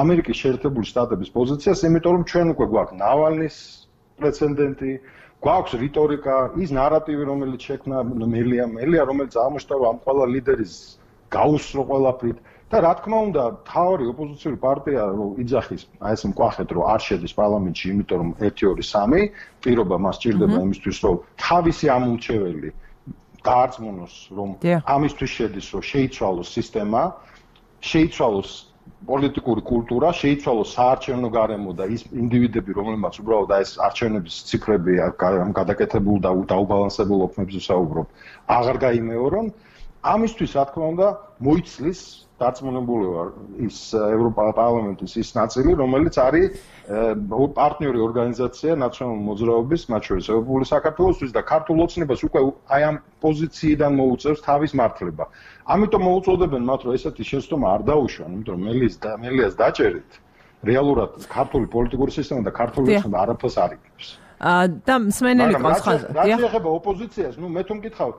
ამერიკის შეერთებული შტატების პოზიციას, იმიტომ რომ ჩვენ უკვე გვაქვს ნავალნის პრეცედენტი, გვაქვს რიტორიკა, ის ნარატივი, რომელიც შექმნა მელია, მელია, რომელიც აღმოჩნდა ამ ყველა ლიდერის გაუსრო ყველაფრით და რა თქმა უნდა, თავი ოპოზიციური პარტია იძახის, აი ეს მკვახეთ, რომ არ შედის პარლამენტში, იმიტომ რომ ერთი ორი სამი პირობა მას ჭირდება იმისთვის, რომ თავისი ამომრჩეველი დაარწმუნოს, რომ ამისთვის შედის, რომ შეიცვალოს სისტემა, შეიცვალოს პოლიტიკური კულტურა, შეიცვალოს საარჩევნო გარემო და ის ინდივიდები, რომლებმაც უბრალოდ აი ეს არჩევნების ციფრები ამ გადაკეთებულ და დაუბალანსებულ ოფნებზე საუბრობ, აღარ გაიმეორონ. ამისთვის, რა თქმა უნდა, მოიცლის დარწმუნებული ვარ ის ევროპარლამენტის ის ნაწილი, რომელიც არის პარტნიორი ორგანიზაცია ნაციონალური მოძრაობის, მათ შორის ევროპული საქართველოსთვის და ქართულ ოცნებას უკვე აი ამ პოზიციიდან მოუწევს თავის მართლება. ამიტომ მოუწოდებენ მათ, რომ ესეთი შეცდომა არ დაუშვან, იმიტომ რომ მელიას და მელიას დაჭერით რეალურად ქართული პოლიტიკური სისტემა და ქართული ოცნება არაფერს არ იგებს. და მსმენელი ყავს ხაზი. რა შეეხება ოპოზიციას, ნუ მე თუ მკითხავ,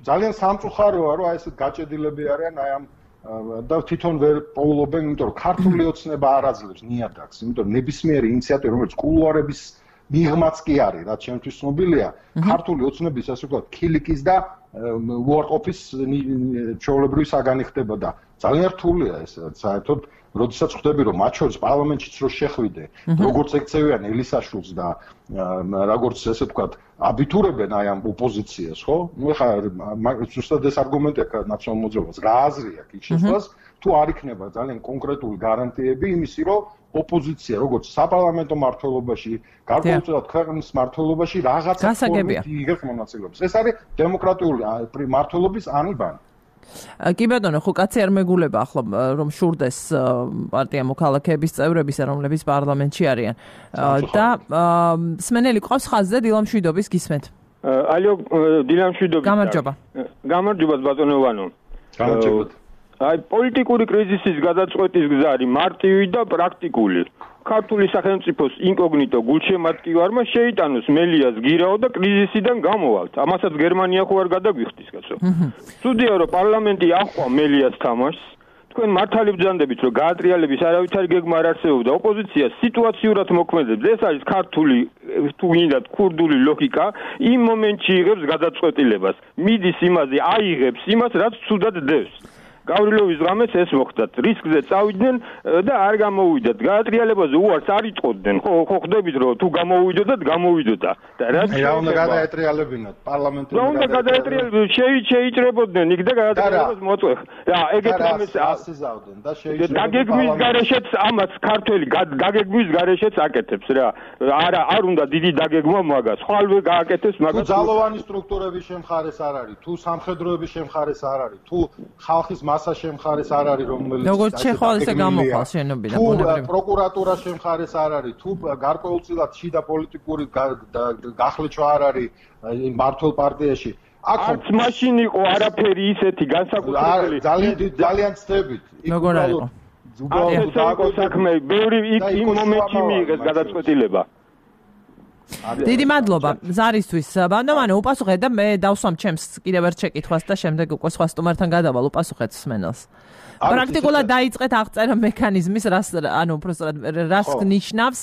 ძალიან სამწუხაროა, რომ აი ესეთ გაჭედილები არიან აი ამ და თვითონ ვერ პოულობენ, იმიტომ რომ ქართული ოცნება არ აძლევს ნიადაგს, იმიტომ რომ ნებისმიერი ინიციატივა, რომელიც კულუარების მიღმაც კი არის, რაც შემთხვევით ცნობილია, ქართული ოცნების ასე ვთქვათ, ქილიკის და უარყოფის ჩვეულებრივი საგანი ხდება და ძალიან რთულია ეს საერთოდ, როდესაც ხვდები, რომ მათ შორის პარლამენტშიც რო შეხვიდე, როგორც ექცევიან ელისაშვილს და როგორც ესე ვთქვათ, აბიტურებენ აი ამ ოპოზიციას, ხო? ნუ ხა ზუსტად ეს არგუმენტია ნაციონალურ მოძრაობას, რა აზრი აქვს იქ შესვლას, თუ არ იქნება ძალიან კონკრეტული გარანტიები იმისი, რომ ოპოზიცია როგორც საპარლამენტო მმართველობაში, გარკვეულწილად ქვეყნის მმართველობაში რაღაცა ფორმით იღებს მონაწილეობას. ეს არის დემოკრატიული მმართველობის ანიბანი. კი ბატონო, ხო კაცი არ მეგულება ახლა რომ შურდეს პარტია მოქალაქეების წევრებისა, რომლებიც პარლამენტში არიან. და მსმენელი ყავს ხაზზე დილამშვიდობის გისმენთ. ალო, დილამშვიდობის. გამარჯობა. გამარჯობა ბატონო ვანო. გამარჯობა. აი პოლიტიკური კრიზისის გადაწყვეტის გზა არის მარტივი და პრაქტიკული. ქართული სახელმწიფოს ინკოგნიტო გულშემატკივარმა შეიტანოს მელიას გირაო და კრიზისიდან გამოვალთ. ამასაც გერმანია ხო არ გადაგვიხდის, კაცო. ცუდია რომ პარლამენტი აჰყვა მელიას თამაშს. თქვენ მართალი ბრძანდებით რომ გაატრიალების არავითარი გეგმა არ არსებობდა, ოპოზიცია სიტუაციურად მოქმედებს. ეს არის ქართული თუ გინდათ ქურდული ლოგიკა, იმ მომენტში იღებს გადაწყვეტილებას. მიდის იმაზე, აიღებს იმას, რაც ცუდად დევს. გავრილოვის ღამეს ეს მოხდათ. რისკზე წავიდნენ და არ გამოვიდათ. გაატრიალებაზე უარს არ იტყოდნენ. ხო, ხო ხვდებით რომ თუ გამოვიდოდათ, გამოვიდოდა. და რაც რა უნდა გადაეტრიალებინათ პარლამენტში. რა უნდა გადაეტრიალებინათ? შეიჭრებოდნენ იქ და გადაეტრიალებას მოწვეხ. რა, ეგეთ რამეს ასიზავდნენ და შეიჭრებოდნენ. დაგეგმვის გარეშეც ამაც ქართველი დაგეგმვის გარეშეც აკეთებს რა. არა, არ უნდა დიდი დაგეგმა მაგას. ხვალვე გააკეთებს მაგას. თუ ძალოვანი სტრუქტურების შემხარეს არ არის, თუ სამხედროების შემხარეს არ არის, თუ ხალხის მასა შემხარეს არ არის, რომელიც როგორც შეხვალ ესე გამოხვალ შენობიდან ბუნებრივი. თუ პროკურატურა შემხარეს არ არის, თუ გარკვეულწილად შიდა პოლიტიკური გახლეჩვა არ არის მართლ პარტიაში. არც მაშინ იყო არაფერი ისეთი განსაკუთრებული. ძალიან ძალიან ცდებით. როგორ არის? უბრალოდ საქმე, ბევრი იმ მომენტში მიიღეს გადაწყვეტილება. დიდი მადლობა ზარისთვის. ბანდოვანო უპასუხეთ და მე დავსვამ ჩემს კიდევ ერთ შეკითხვას და შემდეგ უკვე სხვა სტუმართან გადავალ უპასუხეთ მსმენელს. პრაქტიკულად დაიწყეთ აღწერა მექანიზმის, რას ანუ უბრალოდ რას ნიშნავს,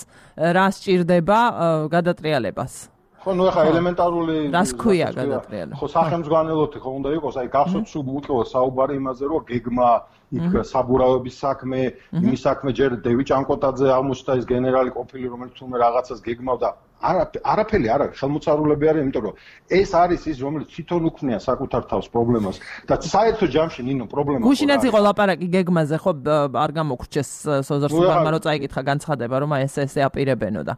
რას ჭირდება გადატრიალებას. ხო, ნუ ახლა ელემენტარული რას ქვია გადატრიალება? ხო, სახელმძღვანელოთი ხო უნდა იყოს, აი გახსოვთ სულ უწევს საუბარი იმაზე, რომ გეგმა იქ საბურავების საქმე, იმის საქმე ჯერ დევი ჭანკოტაძე აღმოჩნდა ის გენერალი ყოფილი, რომელიც თუმე რაღაცას გეგმავდა. არაფერი არ არის, ხელმოწარულები არის, იმიტომ რომ ეს არის ის, რომელიც თვითონ უქმნია საკუთარ თავს პრობლემას და საერთო ჯამში ნინო პრობლემა. გუშინაც იყო ლაპარაკი გეგმაზე, ხო, არ გამოგრჩეს სოზორ სუბარმა რომ წაიკითხა განცხადება, რომ აი ეს ესე აპირებენო და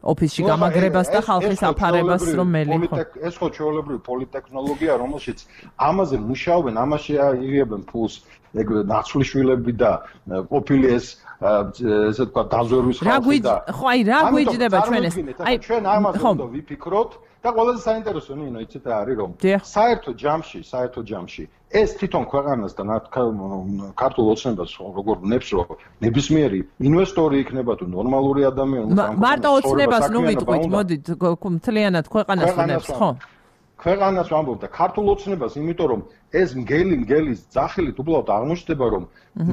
ოფისში გამაგრებას და ხალხის აფარებას რომ მელი ხო. ეს ხო ჩვეულებრივი პოლიტექნოლოგია, რომელშიც ამაზე მუშაობენ, ამაში იღებენ ფულს ეგ ნაცვლიშვილები და ყოფილი ეს ესე თქვა დაზვერვის ხალხი და ხო აი რა გვიჯდება ჩვენ ეს აი ჩვენ ამაზე უნდა ვიფიქროთ და ყველაზე საინტერესო ნინო იცით რა არის რომ საერთო ჯამში საერთო ჯამში ეს თვითონ ქვეყანას და ქართულ ოცნებას როგორ ნებს რომ ნებისმიერი ინვესტორი იქნება თუ ნორმალური ადამიანი მარტო ოცნებას ნუ ვიტყვით მოდით მთლიანად ქვეყანას ნებს ხო ქვეყანას ვამბობ და ქართულ ოცნებას, იმიტომ რომ ეს მგელი მგელის ძახილით უბრალოდ აღმოჩნდება, რომ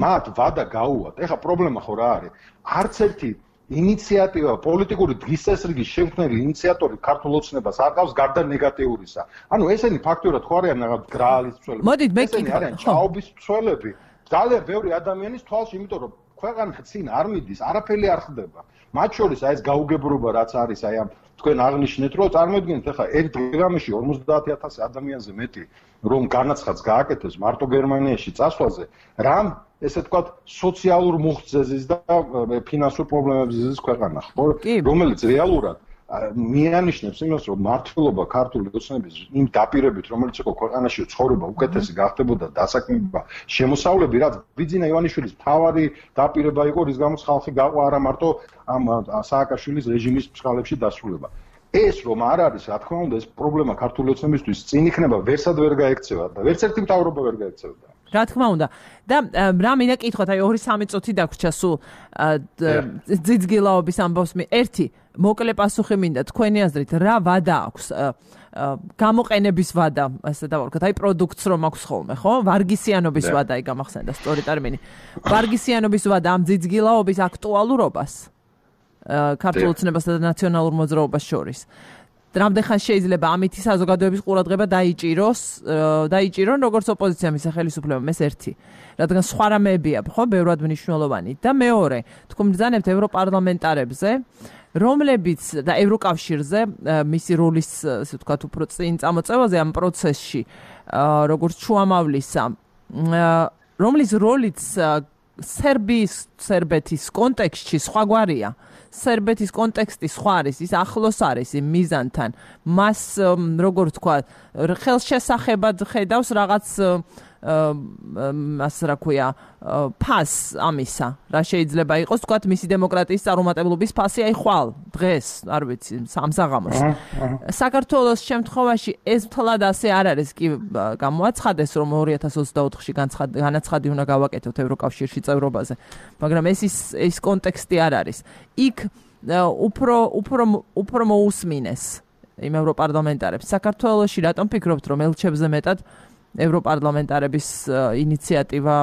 მათ ვადა გაუვათ. ეხლა პრობლემა ხო რა არის? არც ერთი ინიციატივა, პოლიტიკური დღის წესრიგის შემქმნელი ინიციატორი ქართულ ოცნებას არ ყავს გარდა ნეგატიურისა. ანუ ესენი ფაქტურად ხო არიან რაღაც გრაალის მცველები. მოდით მე ესენი არიან ჩაობის მცველები. ძალიან ბევრი ადამიანის თვალში, იმიტომ რომ ქვეყანა წინ არ მიდის, არაფერი არ ხდება. მათ შორის აი ეს გაუგებრობა რაც არის, აი ამ თქვენ აღნიშნეთ, რომ წარმოიდგინეთ ახლა ერთ დღეში ორმოცდაათი ათასი ადამიანზე მეტი რომ განაცხადს გააკეთეს მარტო გერმანიაში წასვლაზე, რამ ესე ვთქვათ სოციალურ მუხტზეზის და ფინანსურ პრობლემებზე ზის ქვეყანა, ხო? რომელიც რეალურად მიანიშნებს იმას, რომ მართლობა ქართული ოცნების იმ დაპირებით, რომელიც იყო ქვეყანაში ცხოვრება უკეთესი გახდებოდა დასაქმება, შემოსავლები, რაც ბიძინა ივანიშვილის მთავარი დაპირება იყო, რის გამოც ხალხი გაყვა არა მარტო ამ სააკაშვილის რეჟიმის ფშხალებში დასრულება. ეს რომ არ არის, რა თქმა უნდა, ეს პრობლემა ქართული ოცნებისთვის წინ იქნება, ვერსად ვერ გაექცევა და ვერც ერთი მთავრობა ვერ გაექცევდა. რა თქმა უნდა. და რა მინდა კითხოთ, აი ორი სამი წუთი დაგვრჩა სულ ძიძგილაობის ამბავს მე. ერთი მოკლე პასუხი მინდა თქვენი აზრით, რა ვადა აქვს გამოყენების ვადა, ასე დავარქოთ, აი პროდუქტს რომ აქვს ხოლმე, ხო? ვარგისიანობის ვადა, აი გამახსენდა სწორი ტერმინი. ვარგისიანობის ვადა ამ ძიძგილაობის აქტუალურობას ქართულ ოცნებასა და ნაციონალურ მოძრაობას შორის. რამდენ ხანს შეიძლება ამითი საზოგადოების ყურადღება დაიჭიროს, დაიჭირონ როგორც ოპოზიცია მის ხელისუფლებამ, ეს ერთი. რადგან სხვა რამეებია, ხო, ბევრად მნიშვნელოვანი. და მეორე, თქვენ ბრძანებთ ევროპარლამენტარებზე, რომლებიც და ევროკავშირზე მისი როლის, ასე ვთქვათ, უფრო წინ წამოწევაზე ამ პროცესში, როგორც შუამავლისა, რომლის როლიც სერბიის, სერბეთის კონტექსტში სხვაგვარია. სერბეთის კონტექსტი სხვა არის, ის ახლოს არის იმ მიზანთან. მას როგორ თქვა, ხელშესახებად ხედავს რაღაც ასე რა ქვია, ფას ამისა, რა შეიძლება იყოს, თქვა, მისი დემოკრატიის წარუმატებლობის ფასი აი ხვალ დღეს, არ ვიცი, სამსაღამოს. საქართველოს შემთხვევაში ეს მთლად ასე არ არის, კი გამოაცხადეს, რომ ორი ათას ოცდაოთხში განაცხადი უნდა გავაკეთოთ ევროკავშირში წევრობაზე, მაგრამ ეს ის კონტექსტი არ არის. იქ უფრო უფრო უფრო მოусმინეს იმ ევროპარლამენტარებს. საქართველოში რატომ ფიქრობთ, რომ ელჩებზე მეტად ევროპარლამენტარების ინიციატივა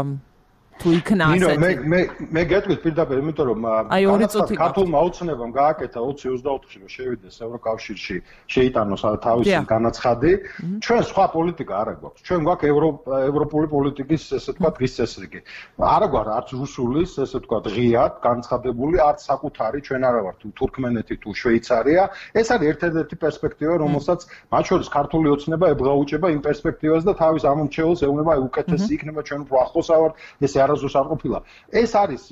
თუ იქნა ასეთი? მე მე მე გეტყვით პირდაპირ, იმიტომ რომ ქართულმა ოცნებამ გააკეთა ოცი ოცდაოთხში რომ შევიდეს ევროკავშირში, შეიტანოს თავისი განაცხადი. ჩვენ სხვა პოლიტიკა არ გვაქვს. ჩვენ გვაქვს ევროპული პოლიტიკის, ესე ვთქვათ, დღის წესრიგი. არ გვაქვს არც რუსულის, ესე ვთქვათ, ღიად განცხადებული, არც საკუთარი, ჩვენ არა ვართ თურქმენეთი თუ შვეიცარია. ეს არის ერთ-ერთი პერსპექტივა, რომელსაც მათ შორის ქართული ოცნება ებღაუჭება იმ პერსპექტივას და თავის ამომრჩეველს ეუბნება, აი უკეთესი იქნება, ჩვენ უფრო ახლოს ავართ, ეს არასდროს არ ყოფილა. ეს არის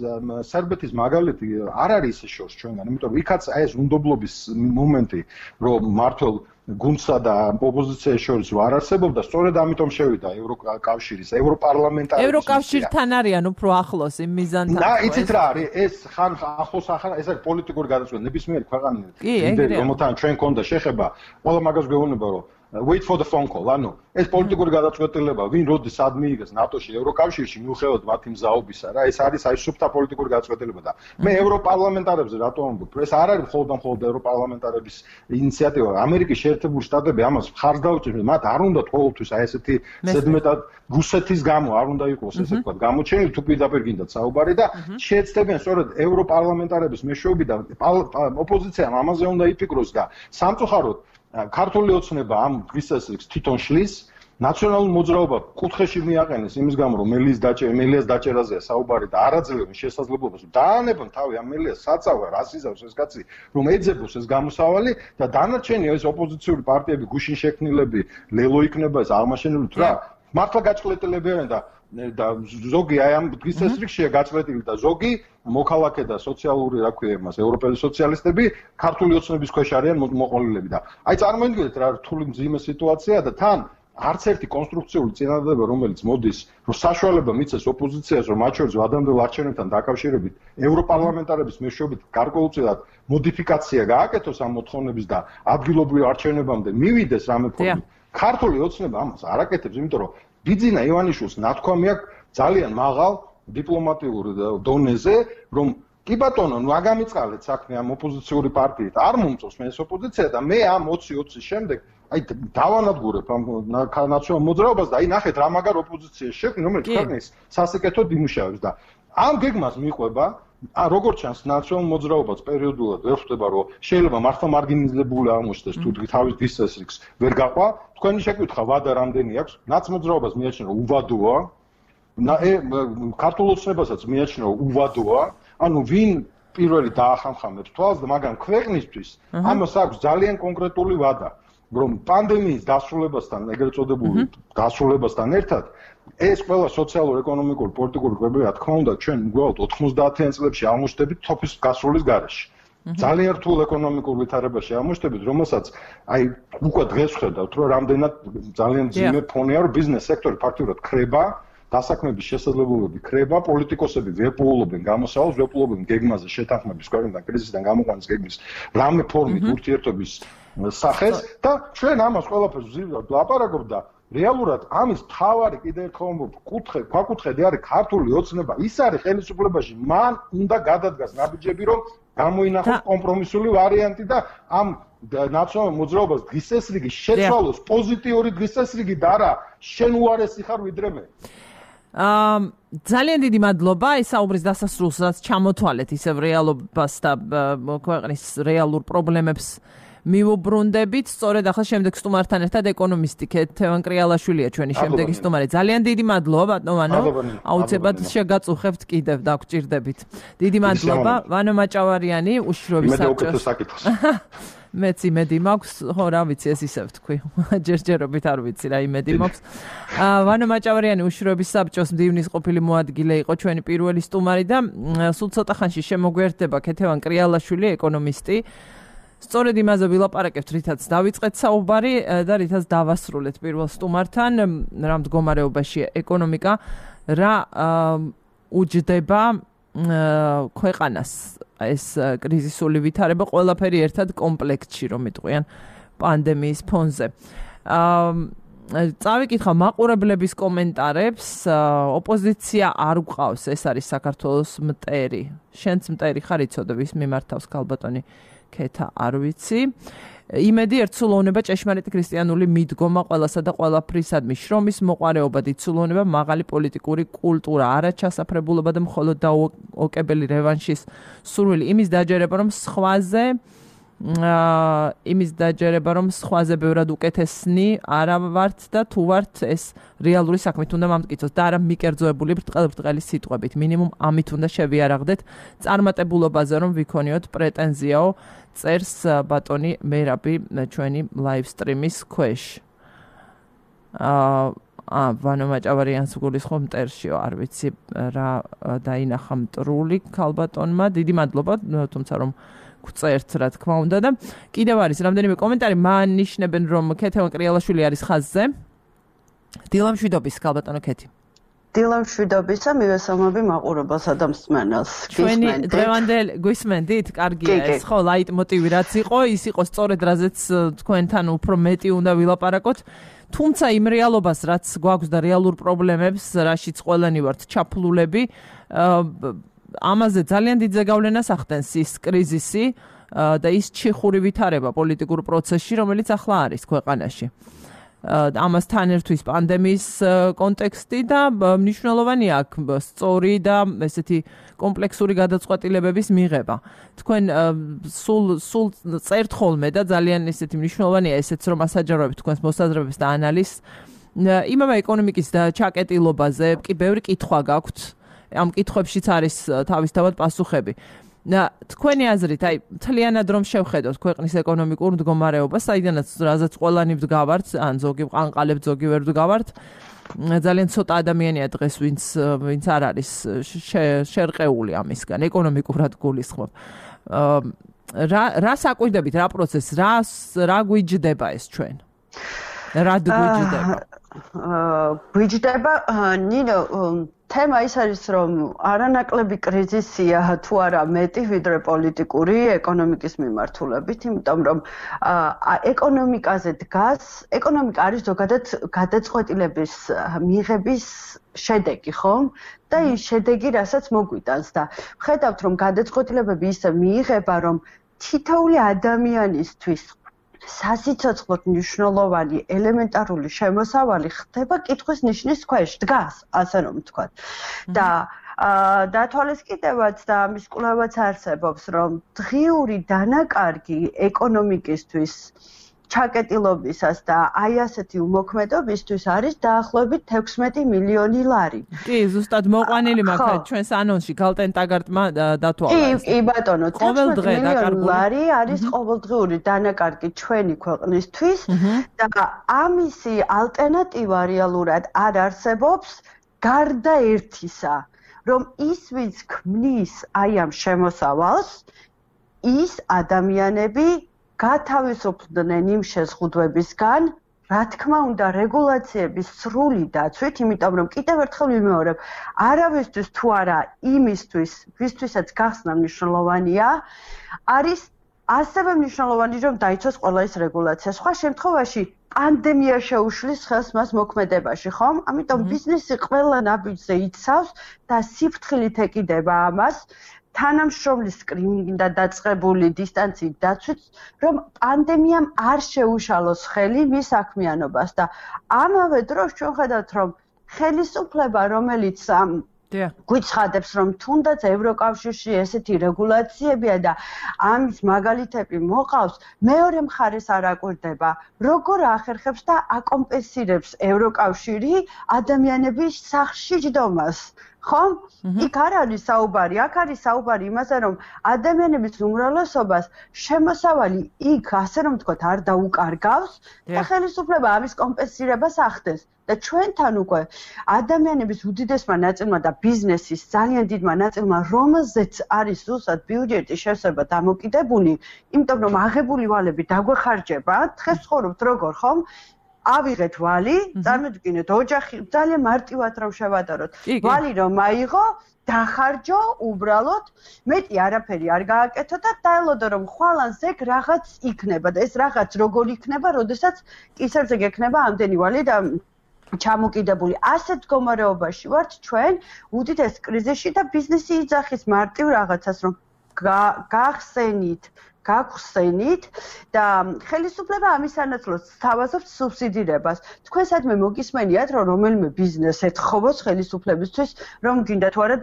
სერბეთის მაგალითი, არ არის ისე შორს ჩვენგან, იმიტომ რომ იქაც ეს უნდობლობის მომენტი, რომ მართლ გუნდსა და ოპოზიციის შორის არ არსებობდა, სწორედ ამიტომ შევიდა ევროკავშირის, ევროპარლამენტარების. ევროკავშირთან არიან უფრო ახლოს იმ მიზანთან. და იცით რა არის, ეს ხან ახლოს ახლა ეს არის პოლიტიკური გადაწყვეტა, ნებისმიერი ქვეყანა, რომელთან ჩვენ გქონდა შეხება, ყველა მაგას გვეუბნება, რომ wait for the phone call. ანუ ეს პოლიტიკური გადაწყვეტილება, ვინ როდის სად მიიღეს ნატოში, ევროკავშირში, მიუხედავად მათი მზაობისა, რა, ეს არის აი სუფთა პოლიტიკური გადაწყვეტილება და მე ევროპარლამენტარებზე რატომ ამბობ? ეს არ არის მხოლოდ და მხოლოდ ევროპარლამენტარების ინიციატივა. ამერიკის შეერთებული შტატები ამას მხარს დაუჭერს, მათ არ უნდათ ყოველთვის აი ესეთი ზედმეტად რუსეთის გამო არ უნდა იყოს, ესე ვთქვათ, გამოჩენილი თუ პირდაპირ გინდათ საუბარი და შეეცდებიან სწორედ ევროპარლამენტარების მეშვეობიდან ოპოზიციამ ამაზე უნდა იფიქროს და სამწუხაროდ ქართული ოცნება ამ დღის წესრიგს თვითონ შლის, ნაციონალურ მოძრაობა კუთხეში მიაყენეს იმის გამო, რომ მელიას დაჭერა, მელიას დაჭერაზეა საუბარი და არაძლევენ შესაძლებლობას, რომ დაანებონ თავი ამ მელიას საწავა, რას იზავს ეს კაცი, რომ ეძებოს ეს გამოსავალი და დანარჩენი ეს ოპოზიციური პარტიები, გუშინ შექმნილები, ლელო იქნება ეს აღმაშენებელი თუ რა, მართლა გაჭყლეტილები არიან და და ზოგი აი ამ დღის წესრიგშია გაჭყლეტილი და ზოგი მოქალაქე და სოციალური, რა ქვია იმას, ევროპელი სოციალისტები ქართული ოცნების ქვეშ არიან მოყოლილები და აი წარმოიდგინეთ რა რთული მძიმე სიტუაცია და თან არც ერთი კონსტრუქციული წინადადება, რომელიც მოდის, რომ საშუალება მიცეს ოპოზიციას, რომ მათ შორის ვადამდელ არჩევნებთან დაკავშირებით ევროპარლამენტარების მეშვეობით გარკვეულწილად მოდიფიკაცია გააკეთოს ამ მოთხოვნების და ადგილობრივ არჩევნებამდე მივიდეს რამე ფორმით. ქართული ოცნება ამას არ აკეთებს, იმიტომ რომ ბიძინა ივანიშვილს ნათქვამი აქვს ძალიან მაღალ დიპლომატიურ დონეზე, რომ კი ბატონო, ნუ აგამიწყალეთ საქმე ამ ოპოზიციური პარტიით. არ მომწონს მე ეს ოპოზიცია და მე ამ ოცი ოცის შემდეგ აი დავანადგურებ ამ ნაციონალურ მოძრაობას და აი ნახეთ რა მაგარ ოპოზიციაში შექმნი, რომელიც ქვეყნის სასიკეთოდ იმუშავებს და ამ გეგმას მიყვება ა როგორც ჩანს ნაციონალურ მოძრაობას პერიოდულად ვერ ხვდება რომ შეიძლება მართლა მარგინალიზებული აღმოჩნდეს თუ თავის დღის წესრიგს ვერ გაყვა თქვენი შეკითხვა ვადა რამდენი აქვს ნაცმოძრაობას მიაჩნია რომ უვადოა ქართულ ოცნებასაც მიაჩნია რომ უვადოა ანუ ვინ პირველი დაახამხამებს თვალს და მაგრამ ქვეყნისთვის ამას აქვს ძალიან კონკრეტული ვადა რომ პანდემიის დასრულებასთან ეგრეთ წოდებული დასრულებასთან ერთად ეს ყველა სოციალურ-ეკონომიკური პოლიტიკური კვებები რა თქმა უნდა ჩვენ უბრალოდ ოთხმოცდაათიან წლებში აღმოჩნდებით თოფის გასრულის გარეშე. ძალიან რთულ ეკონომიკურ ვითარებაში აღმოჩნდებით, რომელსაც აი უკვე დღეს ხედავთ, რომ რამდენად ძალიან ძიმე ფონია, რომ ბიზნეს სექტორი ფაქტობრივად ხრება, დასაქმების შესაძლებლობები ხრება, პოლიტიკოსები ვეპოულობენ გამოსავალს, ვეპოულობენ გეგმაზე შეთანხმების ქვეყნიდან კრიზისიდან გამოყვანის გეგმის რამე ფორმით ურთიერთობის სახეს და ჩვენ ამას ყველაფერს ვზივდათ ლაპარაკობ და რეალურად ამის თავარი კიდე ერთხელ კუთხე, ქვაკუთხედი არის ქართული ოცნება. ის არის ხელისუფლებაში, მან უნდა გადადგას ნაბიჯები, რომ გამოინახოს კომპრომისული ვარიანტი და ამ ნაციონალურ მოძრაობას დღის წესრიგი შეცვალოს პოზიტიური დღის წესრიგი და არა შენ უარესი ხარ ვიდრე მე. აა ძალიან დიდი მადლობა ეს საუბრის დასასრულსაც ჩამოთვალეთ ისევ რეალობას და ქვეყნის რეალურ პრობლემებს მივუბრუნდებით, სწორედ ახლა შემდეგ სტუმართან ერთად ეკონომისტი ქეთევან კრიალაშვილია ჩვენი შემდეგი სტუმარი. ძალიან დიდი მადლობა ბატონო. აუცილებლად შეგაწუხებთ კიდევ და გვჭირდებით. დიდი მადლობა ვანო მაჭავარიანი უშიშროების საბჭოს. მეც იმედი მაქვს, ხო რა ვიცი ეს ისევ თქვი. ჯერჯერობით არ ვიცი რა იმედი მაქვს. ვანო მაჭავარიანი უშიშროების საბჭოს მდივნის ყოფილი მოადგილე იყო ჩვენი პირველი სტუმარი და სულ ცოტა ხანში შემოგვერდება ქეთევან კრიალაშვილი ეკონომისტი. სწორედ იმაზე ვილაპარაკებთ, რითაც დავიწყეთ საუბარი და რითაც დავასრულეთ პირველ სტუმართან, რა მდგომარეობაშია ეკონომიკა, რა უჯდება ქვეყანას ეს კრიზისული ვითარება, ყველაფერი ერთად კომპლექტში, რომ იტყვიან პანდემიის ფონზე. წავიკითხა მაყურებლების კომენტარებს, ოპოზიცია არ გვყავს, ეს არის საქართველოს მტერი. შენც მტერი ხარ იცოდე, ვის მიმართავს ქალბატონი ქეთა არ ვიცი. იმედი ერთსულოვნება ჭეშმარიტი ქრისტიანული მიდგომა ყველასა და ყველაფრისადმი, შრომის მოყვარეობა, დიცულოვნება, მაღალი პოლიტიკური კულტურა, არაჩასაფრებულობა და მხოლოდ დაუოკებელი რევანშის სურვილი, იმის დაჯერება, რომ სხვაზე იმის დაჯერება, რომ სხვაზე ბევრად უკეთესნი არა ვართ და თუ ვართ ეს რეალური საქმით უნდა მომტკიცოს და არა მიკერძოებული ბრტყელ-ბრტყელი სიტყვებით. მინიმუმ ამით უნდა შევიარაღდეთ წარმატებულობაზე, რომ ვიქონიოთ პრეტენზიაო წერს ბატონი მერაბი ჩვენი ლაივ სტრიმის ქვეშ. აა ვანო მაჭავარიანს გულისხმობ მტერშიო, არ ვიცი რა დაინახა მტრული ქალბატონმა. დიდი მადლობა, თუმცა რომ წერთ რა თქმა უნდა და კიდევ არის რამდენიმე კომენტარი მანიშნებენ რომ ქეთევან კრიალაშვილი არის ხაზზე. დილამშვიდობის ქალბატონო ქეთი. დილამშვიდობისა მივესალმები მაყურებელსა და მსმენელს. ჩვენი დღევანდელ გვისმენდით? კარგია ეს ხო ლაიტმოტივი რაც იყო, ის იყო სწორედ რაზეც თქვენთან უფრო მეტი უნდა ვილაპარაკოთ. თუმცა იმ რეალობას რაც გვაქვს და რეალურ პრობლემებს, რაშიც ყველანი ვართ ჩაფლულები, ამაზე ძალიან დიდ ზეგავლენას ახდენს ის კრიზისი და ის ჩიხური ვითარება პოლიტიკურ პროცესში, რომელიც ახლა არის ქვეყანაში. ამასთან ერთვის პანდემიის კონტექსტი და მნიშვნელოვანია აქ სწორი და ესეთი კომპლექსური გადაწყვეტილებების მიღება. თქვენ სულ სულ წერთ ხოლმე და ძალიან ესეთი მნიშვნელოვანია ესეც რომ ასაჯაროებთ თქვენს მოსაზრებებს და ანალიზს. იმავე ეკონომიკის და ჩაკეტილობაზე კი ბევრი კითხვა გაქვთ. ამ კითხვებშიც არის თავისთავად პასუხები. თქვენი აზრით, აი, მთლიანად რომ შევხედოთ ქვეყნის ეკონომიკურ მდგომარეობას, საიდანაც რაზეც ყველანი ვდგავართ, ან ზოგი ვყანყალებთ, ზოგი ვერ ვდგავართ, ძალიან ცოტა ადამიანია დღეს, ვინც ვინც არ არის შერყეული ამისგან, ეკონომიკურად გულისხმობ. რა რა საკვირდებით, რა პროცესს, რა რა გვიჯდება ეს ჩვენ? რა გვიჯდება? გვიჯდება, ნინო თემა ის არის რომ არანაკლები კრიზისია თუ არა მეტი ვიდრე პოლიტიკური ეკონომიკის მიმართულებით, იმიტომ რომ ეკონომიკაზე დგას, ეკონომიკა არის ზოგადად გადაწყვეტილების მიღების შედეგი, ხო? და ის შედეგი რასაც მოგვიტანს და ხედავთ რომ გადაწყვეტილებები ისე მიიღება რომ თითოეული ადამიანისთვის სასიცოცხლოდ მნიშვნელოვანი ელემენტარული შემოსავალი ხდება კითხვის ნიშნის ქვეშ, დგას, ასე რომ ვთქვათ. და დათვალისწინებაც და ამის კვლევაც არსებობს, რომ დღიური დანაკარგი ეკონომიკისთვის ჩაკეტილობისას და აი ასეთი უმოქმედობისთვის არის დაახლოებით თექვსმეტი მილიონი ლარი. კი, ზუსტად მოყვანილი მაქვს ჩვენს ანონსში გალტენ ტაგარტმა დათვალა ეს. კი, ბატონო, თექვსმეტი მილიონი ლარი არის ყოველდღიური დანაკარგი ჩვენი ქვეყნისთვის და ამისი ალტერნატივა რეალურად არ არსებობს გარდა ერთისა, რომ ის ვინც ქმნის აი ამ შემოსავალს, ის ადამიანები გათავისუფლდნენ იმ შეზღუდვებისგან, რა თქმა უნდა, რეგულაციების სრული დაცვით, იმიტომ რომ კიდევ ერთხელ ვიმეორებ, არავისთვის თუ არა იმისთვის, ვისთვისაც გახსნა მნიშვნელოვანია, არის ასევე მნიშვნელოვანი, რომ დაიცვას ყველა ის რეგულაცია. სხვა შემთხვევაში პანდემია შეუშლის ხელს მას მოქმედებაში, ხომ? ამიტომ ბიზნესი ყველა ნაბიჯზე იცავს და სიფრთხილით ეკიდება ამას. თანამშრომლის სკრინინგი და დაწყებული დისტანციით დაცვით, რომ პანდემიამ არ შეუშალოს ხელი მის საქმიანობას და ამავე დროს ჩვენ ხედავთ, რომ ხელისუფლება, რომელიც გვიცხადებს, რომ თუნდაც ევროკავშირში ესეთი რეგულაციებია და ამის მაგალითები მოყავს, მეორე მხარეს არ აკვირდება, როგორ ახერხებს და აკომპენსირებს ევროკავშირი ადამიანების სახლში ჯდომას. ხომ? იქ არ არის საუბარი, აქ არის საუბარი იმაზე, რომ ადამიანების უმრავლესობას შემოსავალი იქ, ასე რომ ვთქვათ, არ დაუკარგავს და ხელისუფლება ამის კომპენსირებას ახდენს. და ჩვენთან უკვე ადამიანების უდიდესმა ნაწილმა და ბიზნესის ძალიან დიდმა ნაწილმა, რომელზეც არის ზუსტად ბიუჯეტის შევსება დამოკიდებული, იმიტომ რომ აღებული ვალები დაგვეხარჯება, დღეს ცხოვრობთ როგორ, ხომ? ავიღეთ ვალი, წარმოიდგინეთ, ოჯახი ძალიან მარტივად რომ შევადაროთ. ვალი რომ აიღო, დახარჯო, უბრალოდ, მეტი არაფერი არ გააკეთო და დაელოდო რომ ხვალან ზეგ რაღაც იქნება და ეს რაღაც როგორ იქნება, როდესაც კისერზე გექნება ამდენი ვალი და ჩამოკიდებული. ასეთ მდგომარეობაში ვართ ჩვენ უდიდეს კრიზისში და ბიზნესი იძახის მარტივ რაღაცას რომ გახსენით გაგხსენით და ხელისუფლება ამის სანაცვლოდ სთავაზობს სუბსიდირებას. თქვენ სადმე მოგისმენიათ, რომ რომელიმე ბიზნეს ეთხოვოს ხელისუფლებისთვის, რომ გინდა თუ არა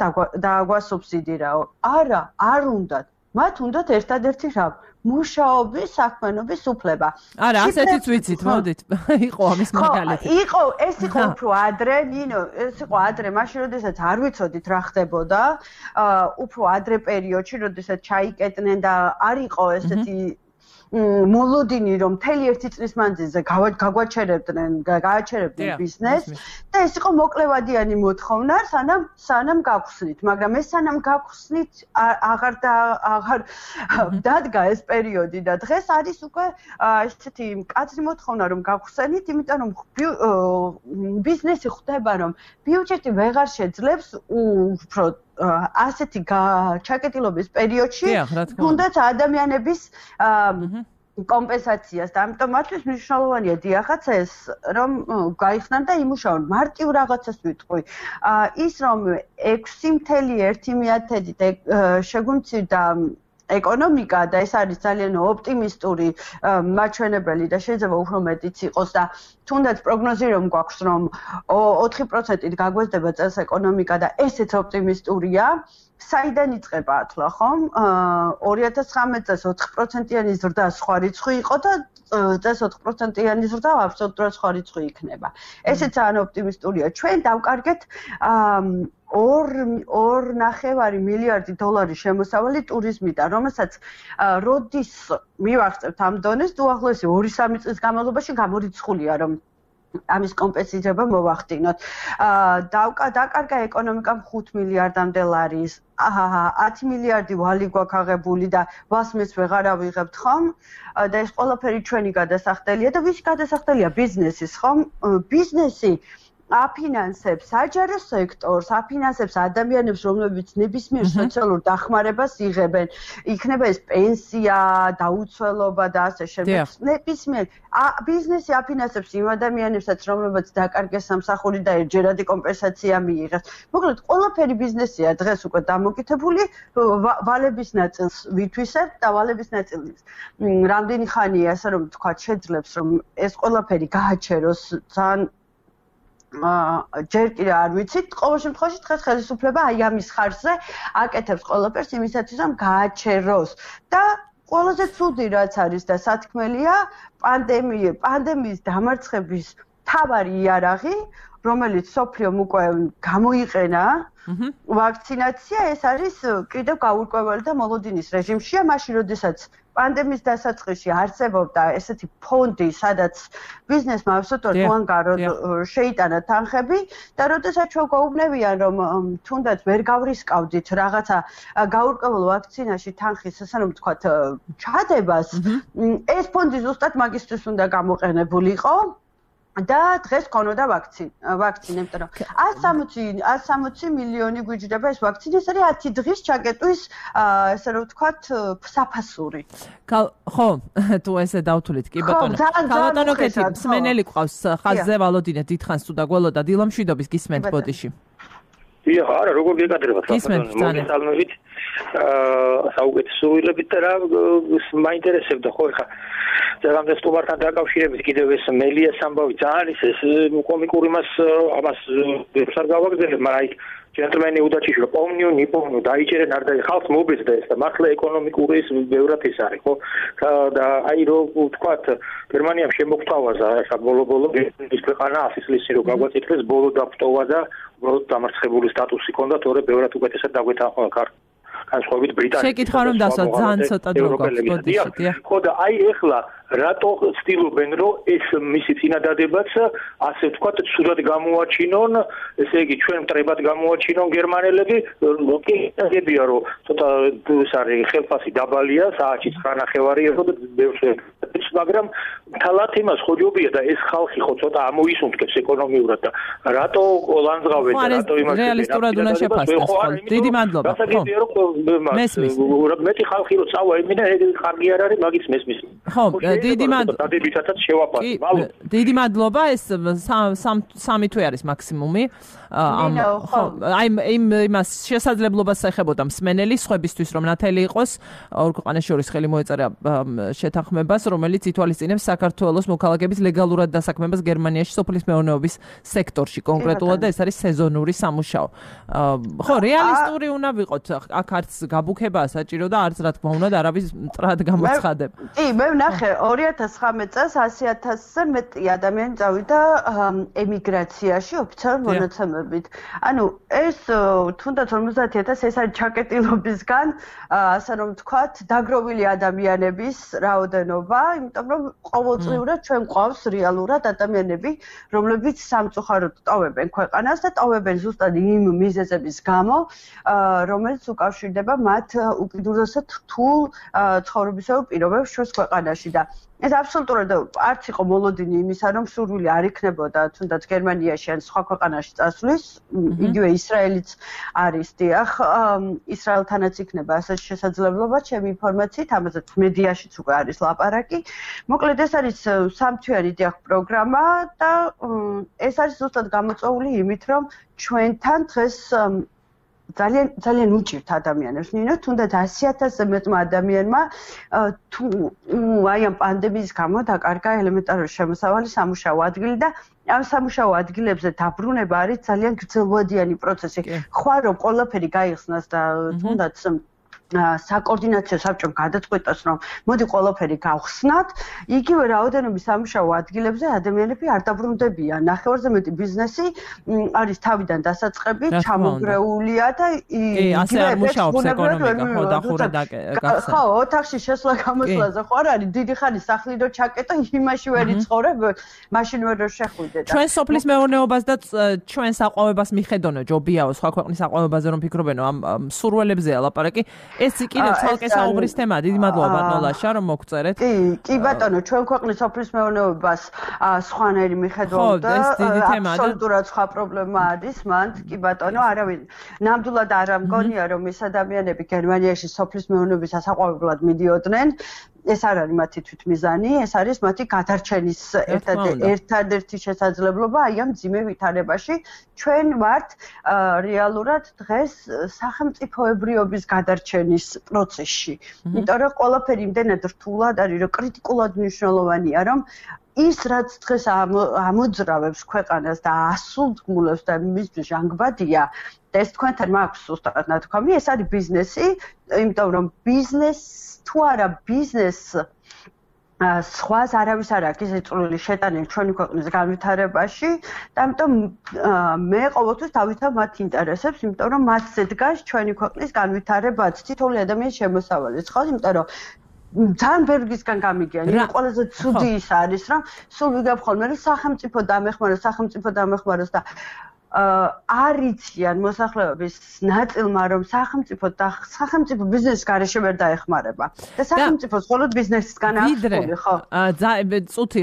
დააგვასუბსიდირაო. არა, არ უნდათ. მათ უნდათ ერთადერთი რამ, მუშაობის, საქმიანობის უფლება. არა, ასეთიც ვიცით, მოდით. იყო ამის მაგალითი. იყო, ეს იყო უფრო ადრე, ნინო, ეს იყო ადრე, მაშინ როდესაც არ ვიცოდით რა ხდებოდა, უფრო ადრე პერიოდში, როდესაც ჩაიკეტნენ და არ იყო ესეთი მოლოდინი, რომ მთელი ერთი წლის მანძილზე გაგვაჩერებდნენ, გააჩერებდნენ ბიზნესს და ეს იყო მოკლევადიანი მოთხოვნა, სანამ სანამ გაგხსნით, მაგრამ ეს სანამ გაგხსნით აღარ აღარ დადგა ეს პერიოდი და დღეს არის უკვე ესეთი მკაცრი მოთხოვნა, რომ გაგხსნით, იმიტომ რომ ბიზნესი ხვდება, რომ ბიუჯეტი ვეღარ შეძლებს უფრო ასეთი ჩაკეტილობის პერიოდში თუნდაც ადამიანების კომპენსაციას და ამიტომ მათთვის მნიშვნელოვანია დიახაც ეს რომ გაიხსნან და იმუშაონ მარტივ რაღაცას ვიტყვი ის რომ ექვსი ათეული მეთოდით შეგვიმცირდა ეკონომიკა და ეს არის ძალიან ოპტიმისტური მაჩვენებელი და შეიძლება უფრო მეტიც იყოს და თუნდაც პროგნოზი რომ გვაქვს რომ ოთხი პროცენტით გაგვეზდება წელს ეკონომიკა და ესეც ოპტიმისტურია საიდან იწყება ახლა ხომ ორი ათას ცხრამეტ წელს ოთხი პროცენტიანი ზრდა სხვა რიცხვი იყო და წელს ოთხი პროცენტიანი ზრდა აბსოლუტურად სხვა რიცხვი იქნება ესეც ძალიან ოპტიმისტურია ჩვენ დავკარგეთ ორ ორ ნახევარი მილიარდი დოლარი შემოსავალი ტურიზმიდან, რომელსაც როდის მივაღწევთ ამ დონეს, უახლოესი ორი სამი წლის განმავლობაში გამორიცხულია, რომ ამის კომპენსირება მოვახდინოთ. დაკარგა ეკონომიკამ ხუთ მილიარდამდე ლარის, ათი მილიარდი ვალი გვაქვს აღებული და ვალს მეც ვეღარ ავიღებთ ხომ? და ეს ყველაფერი ჩვენი გადასახდელია და ვისი გადასახდელია ბიზნესის ხომ? ბიზნესი აფინანსებს საჯარო სექტორს, აფინანსებს ადამიანებს, რომლებიც ნებისმიერ სოციალურ დახმარებას იღებენ. იქნება ეს პენსია, დაუცველობა და ასე შემდეგ. ნებისმიერ ბიზნესი აფინანსებს იმ ადამიანებსაც, რომლებიც დაკარგეს სამსახური და ერთჯერადი კომპენსაცია მიიღეს. მოკლედ, ყველაფერი ბიზნესია დღეს უკვე დამოკიდებული ვალების ნაწილს ვითვისებთ და ვალების ნაწილს რამდენი ხანია, ასე რომ თქვა, შეძლებს რომ ეს ყველაფერი გააჩეროს ძალიან ჯერ კიდე არ ვიცით, ყოველ შემთხვევაში დღეს ხელისუფლება აი ამის ხარჯზე აკეთებს ყველაფერს იმისათვის, რომ გააჩეროს და ყველაზე ცუდი რაც არის და სათქმელია, პანდემია, პანდემიის დამარცხების მთავარი იარაღი, რომელიც სოფლიომ უკვე გამოიყენა, ვაქცინაცია, ეს არის კიდევ გაურკვეველი და მოლოდინის რეჟიმშია, მაშინ როდესაც პანდემიის დასაწყისში არსებობდა ესეთი ფონდი, სადაც ბიზნესმა აბსოლუტურად უანგარო შეიტანა თანხები და როდესაც ჩვენ გვეუბნებიან, რომ თუნდაც ვერ გავრისკავდით რაღაცა გაურკვეველ ვაქცინაში თანხის, ასე რომ ვთქვათ, ჩადებას, ეს ფონდი ზუსტად მაგისტრის უნდა გამოყენებულიყო. და დღეს ქონოდა ვაქცინა, ვაქცინა, იმიტომ რომ ათს სამოცი მილიონი გვიჯდება ეს ვაქცინა, ეს არის ათი დღის ჩაკეტვის, ასე რომ ვთქვათ, საფასური. ხო, თუ ესე დავთვლით, კი ბატონო. ბატონო კეთი, მსმენელი ყავს ხაზზე ვალოდინე დიდხანს თუ დაგველოდა დილომშვიდობის გისმენთ ბოდიში. დიახ, არა, როგორ გეკადრებათ მოგესალმებით. აა საუკეთესო ვილებით და რა მაინტერესებდა ხო ხა ზოგადად სტუმართან დაკავშირებით კიდევ ეს მელიას ამბავი ძალიან ის კომიკური მას ამას ვერ გავაგზავნებ, მაგრამ აი ჯენტლმენი უდაჩიშვილ პომნიუ ნიპოვნუ დაიჭერენ არ და ხალხს მობეძდა ეს და მართლა ეკონომიკური ის ბევრად ის არის ხო და აი რომ ვთქვათ გერმანიამ შემოგთავაზა ხა ბოლო-ბოლო ის ქვეყანა ასის წლის რო გაგვაწითლეს ბოლო დაფტოვა და უბრალოდ დამარცხებული სტატუსი ჰქონდა, თორე ბევრად უკეთესად დაგვეთანხმა ქართლ განსხვავებით ბრიტანეთს. შეკითხვა რომ დასვა ძალიან ცოტა დრო გვაქვს ბოდიში, დიახ. ხო და აი ეხლა რატო ცდილობენ რომ ეს მისი წინადადებაც ასე ვთქვათ ცუდად გამოაჩინონ, ესე იგი ჩვენ მტრებად გამოაჩინონ გერმანელები, კი გებია რომ ცოტა ეს არის ხელფასი დაბალია, საათში ცხრა ნახევარია და ბევრს მაგრამ თალათ იმას ხო ჯობია და ეს ხალხი ხო ცოტა ამოისუნთქებს ეკონომიურად და რატო ლანძღავენ და რატო იმას რეალისტურად უნდა შეფასდეს ხო დიდი მადლობა ხო მესმის მეტი ხალხი რო წავა იმენა ხარგი არ არის მაგის მესმის ხო დიდი მადლობა დადებითაც შევაფასე მალო დიდი მადლობა ეს სამი თვე არის მაქსიმუმი ამ ხო აი იმ იმას შესაძლებლობას ეხებოდა მსმენელი სხვებისთვის რომ ნათელი იყოს ორ ქვეყანას შორის ხელი მოეწერა შეთანხმებას რომელიც ითვალისწინებს საქართველოს მოქალაქეების ლეგალურად დასაქმებას გერმანიაში სოფლის მეურნეობის სექტორში კონკრეტულად და ეს არის სეზონური სამუშაო. ხო, რეალისტური უნდა ვიყოთ. აქ არც გაბუქებაა საჭირო და არც რა თქმა უნდა არავის მტრად გამოცხადებ. კი, მე ვნახე ორი ათას ცხრამეტ წელს ასი ათასზე მეტი ადამიანი წავიდა ემიგრაციაში ოფიციალურ მონაცემებით. ანუ ეს თუნდაც ორმოცდაათი ათასი ეს არის ჩაკეტილობისგან, ასე რომ ვთქვათ, დაგროვილი ადამიანების რაოდენობა, იმიტომ რომ ყოველწლიურად ჩვენ გვყავს რეალურად ადამიანები, რომლებიც სამწუხაროდ ტოვებენ ქვეყანას და ტოვებენ ზუსტად იმ მიზეზების გამო, რომელიც უკავშირდება მათ უკიდურესად რთულ ცხოვრებისეულ პირობებს შუა ქვეყანაში და ეს აბსოლუტურად არც იყო მოლოდინი იმისა, რომ სურვილი არ იქნებოდა თუნდაც გერმანიაში ან სხვა ქვეყანაში წასვლის, იგივე ისრაელიც არის დიახ, ისრაელთანაც იქნება ასეთი შესაძლებლობა, ჩემი ინფორმაციით, ამაზეც მედიაშიც უკვე არის ლაპარაკი. მოკლედ ეს არის სამთვიანი დიახ პროგრამა და ეს არის ზუსტად გამოწვეული იმით, რომ ჩვენთან დღეს ძალიან ძალიან უჭირთ ადამიანებს. ნინო, თუნდაც ასი ათასზე მეტმა ადამიანმა თუ აი ამ პანდემიის გამო დაკარგა ელემენტარული შემოსავალი სამუშაო ადგილი და ამ სამუშაო ადგილებზე დაბრუნება არის ძალიან გრძელვადიანი პროცესი. ხვალ რომ ყველაფერი გაიხსნას და თუნდაც საკოორდინაციო საბჭომ გადაწყვეტას, რომ მოდი ყველაფერი გავხსნათ, იგივე რაოდენობის სამუშაო ადგილებზე ადამიანები არ დაბრუნდებიან. ნახევარზე მეტი ბიზნესი არის თავიდან დასაწყები, ჩამოგრეულია და იგივე მუშაობს ეკონომიკა, ხო, დახურა და გახსნა. ხო, ოთახში შესვლა გამოსვლაზე ხო არ არის დიდი ხანი სახლი რო ჩაკეტო, იმაში ვერ იცხოვრებ, მაშინ ვერ შეხვიდე და ჩვენ სოფლის მეურნეობას და ჩვენ საყვავებას მიხედონო ჯობიაო სხვა ქვეყნის საყვავებაზე რომ ფიქრობენო ამ სურველებზეა ლაპარაკი. ეს კიდევ ცალკე საუბრის თემაა. დიდი მადლობა ბატონო ლაშა რომ მოგწერეთ. კი, კი ბატონო, ჩვენ ქვეყნის სოფლის მეურნეობას სხვანაირი მიხედვით და აბსოლუტურად სხვა პრობლემა არის მან. კი ბატონო, არავინ ნამდვილად არ ამგონია რომ ეს ადამიანები გერმანიაში სოფლის მეურნეობის ასაყვავებლად მიდიოდნენ. ეს არ არის მათი თვითმიზანი, ეს არის მათი გადარჩენის ერთადერთი შესაძლებლობა აი ამ ძიმე ვითარებაში. ჩვენ ვართ რეალურად დღეს სახელმწიფოებრიობის გადარჩენის პროცესში. იმიტომ რომ ყველაფერი იმდენად რთულად არის, რომ კრიტიკულად მნიშვნელოვანია, რომ ის რაც დღეს ამოძრავებს ქვეყანას და ასულთგმულებს და მისთვის ჟანგბადია და ეს თქვენთან მაქვს უბრალოდ ნათქვამი, ეს არის ბიზნესი, იმიტომ რომ ბიზნეს თუ არა ბიზნეს სხვას არავის არ აქვს ისე წვრილი შეტაնել ჩვენი ქვეყნის განვითარებაში და ამიტომ მე ყოველთვის დავითავ მათ ინტერესებს, იმიტომ რომ მათზე დგას ჩვენი ქვეყნის განვითარებაც, თითოეული ადამიანის შემოსავალიც, ხო? იმიტომ რომ ძალიან ბერგისგან გამიგიან, იმ ყველაზე ცუდი ის არის, რომ სულ ვიგებ ხოლმე, რომ სახელმწიფო დამეხმაროს, სახელმწიფო დამეხმაროს და არიციან მოსახლეობის ნაწილმა, რომ სახელმწიფო და სახელმწიფო ბიზნესის გარეშე ვერ დაეხმარება. და სახელმწიფოს მხოლოდ ბიზნესისგან აქვს ფული, ხო? წუთი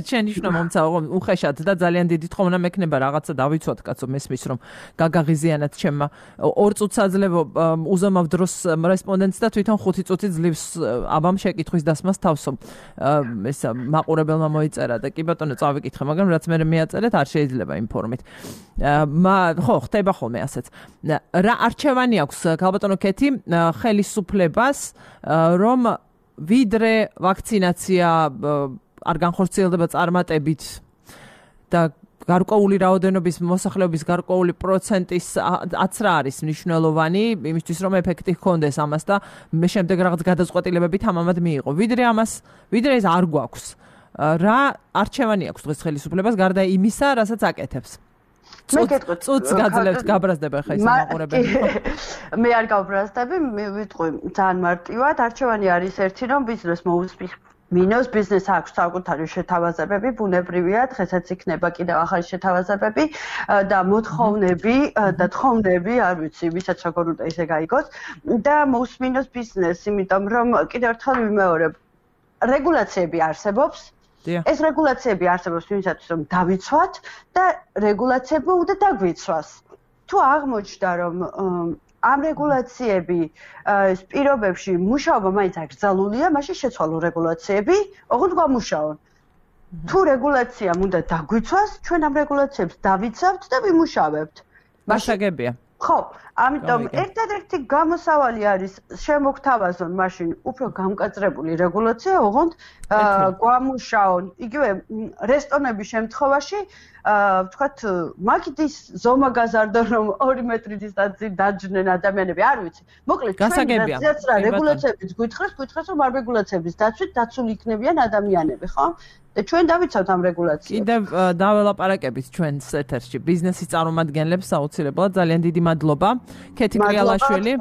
შენიშნა მომცაო უხეშად და ძალიან დიდი თხოვნა მექნება რაღაცა დავიცვათ, კაცო, მესმის რომ გაგაღიზიანად ჩემმა ორ წუთს აძლევო უზომავ დროს რესპონდენტს და თვითონ ხუთი წუთი ძლივს აბამ შეკითხვის დასმას თავსო. ეს მაყურებელმა მოიწერა და კი ბატონო წავიკითხე, მაგრამ რაც მე მეაწერეთ არ შეიძლება იმ ფორმით. მა ხო ხდება ხოლმე ასეც. რა არჩევანი აქვს ქალბატონო კეთი ხელისუფლებას რომ ვიდრე ვაქცინაცია არ განხორციელდება წარმატებით და გარკვეული რაოდენობის მოსახლეობის გარკვეული პროცენტის აცრა არის მნიშვნელოვანი იმისთვის რომ ეფექტი ჰქონდეს ამას და მე შემდეგ რაღაც გადაწყვეტილებები თამამად მიიღო. ვიდრე ამას, ვიდრე ეს არ გვაქვს. რა არჩევანი აქვს დღეს ხელისუფლებას გარდა იმისა, რასაც აკეთებს? წუთს გაძლევთ, გაბრაზდება ხა ის მაყურებელი. მე არ გავბრაზდები, მე ვიტყვი ძალიან მარტივად, არჩევანი არის ერთი, რომ ბიზნეს მოусპის მინოს ბიზნეს აქვს საკუთარი შეთავაზებები, ბუნებრივია, დღესაც იქნება კიდევ ახალი შეთავაზებები და მოთხოვნები და თხოვნები, არ ვიცი, ვისაც როგორ უნდა ისე გაიგოს და მოусმინოს ბიზნეს, იმიტომ რომ კიდევ ერთხელ ვიმეორებ, რეგულაციები არსებობს. ეს რეგულაციები არსებობს იმისათვის, რომ დავიცვათ და რეგულაციები უნდა დაგვიცვას. თუ აღმოჩნდა, რომ ამ რეგულაციები ეს პირობებში მუშაობა მაინც აკრძალულია, მაშინ შეცვალო რეგულაციები, ოღონდ გამუშაონ. თუ რეგულაციამ უნდა დაგვიცვას, ჩვენ ამ რეგულაციებს დავიცავთ და ვიმუშავებთ. მაშაგებია. ხო, ამიტომ ერთადერთი გამოსავალი არის შემოგთავაზონ მაშინ უფრო გამკაცრებული რეგულაცია, ოღონდ გვამუშაონ. იგივე რესტორნების შემთხვევაში ვთქვათ, მაგის ზომა გაზარდონ, რომ ორი მეტრი დისტანცი დაჯდნენ ადამიანები, არ ვიცი. მოკლედ, ჩვენაც რა რეგულაციებიც გვითხრეს, გვითხრეს, რომ არ რეგულაციების დაცვით დაცული იქნებიან ადამიანები, ხო? და ჩვენ დავიცავთ ამ რეგულაციებს. კიდევ დაველაპარაკებით ჩვენს ეთერში ბიზნესის წარმომადგენლებს აუცილებლად ძალიან დიდი მადლობა. ქეთი კრიალაშვილი,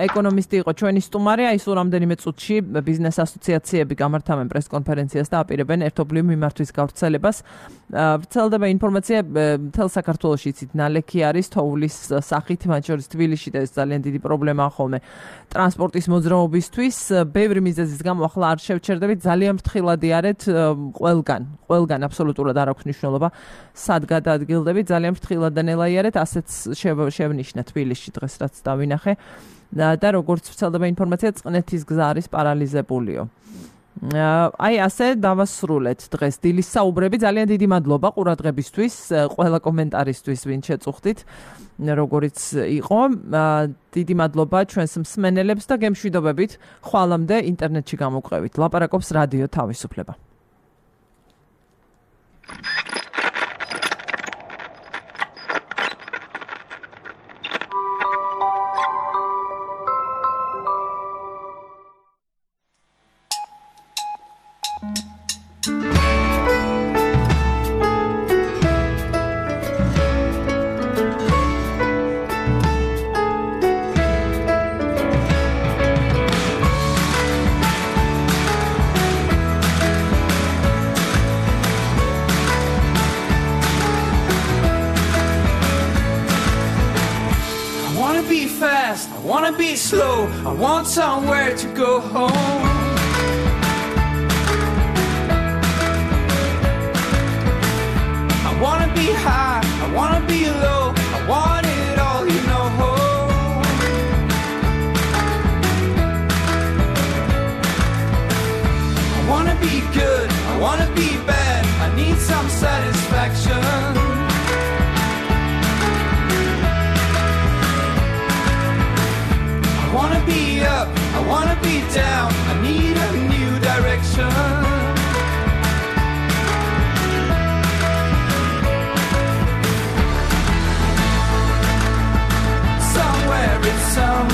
ეკონომისტი იყო ჩვენი სტუმარი, აი სულ რამდენიმე წუთში ბიზნეს ასოციაციები გამართავენ პრესკონფერენციას და აპირებენ ერთობლივ მიმართვის გავრცელებას. ვრცელდება ინფორმაცია მთელ საქართველოში იცით ნალექი არის თოვლის სახით, მათ შორის თბილისში და ეს ძალიან დიდი პრობლემაა ხოლმე ტრანსპორტის მოძრაობისთვის. ბევრი მიზეზის გამო ახლა არ შევჩერდებით, ძალიან ფრთხილად იარეთ ყველგან, ყველგან აბსოლუტურად არ აქვს მნიშვნელობა სად გადაადგილდებით, ძალიან ფრთხილად და ნელა იარეთ, ასეც შევნიშნა თბილისში დღეს რაც დავინახე და როგორც ვრცელდება ინფორმაცია, წყნეთის გზა არის პარალიზებულიო. აი ასე დავასრულეთ დღეს დილის საუბრები. ძალიან დიდი მადლობა ყურადღებისთვის, ყველა კომენტარისთვის, ვინ შეწუხდით, როგორიც იყო. დიდი მადლობა ჩვენს მსმენელებს და გემშვიდობებით ხვალამდე ინტერნეტში გამოგვყევით. ლაპარაკობს რადიო თავისუფლება. I want somewhere to go home. I wanna be high, I wanna be low, I want it all, you know. wanna be up, I wanna be down, I need a new direction. Somewhere it's somewhere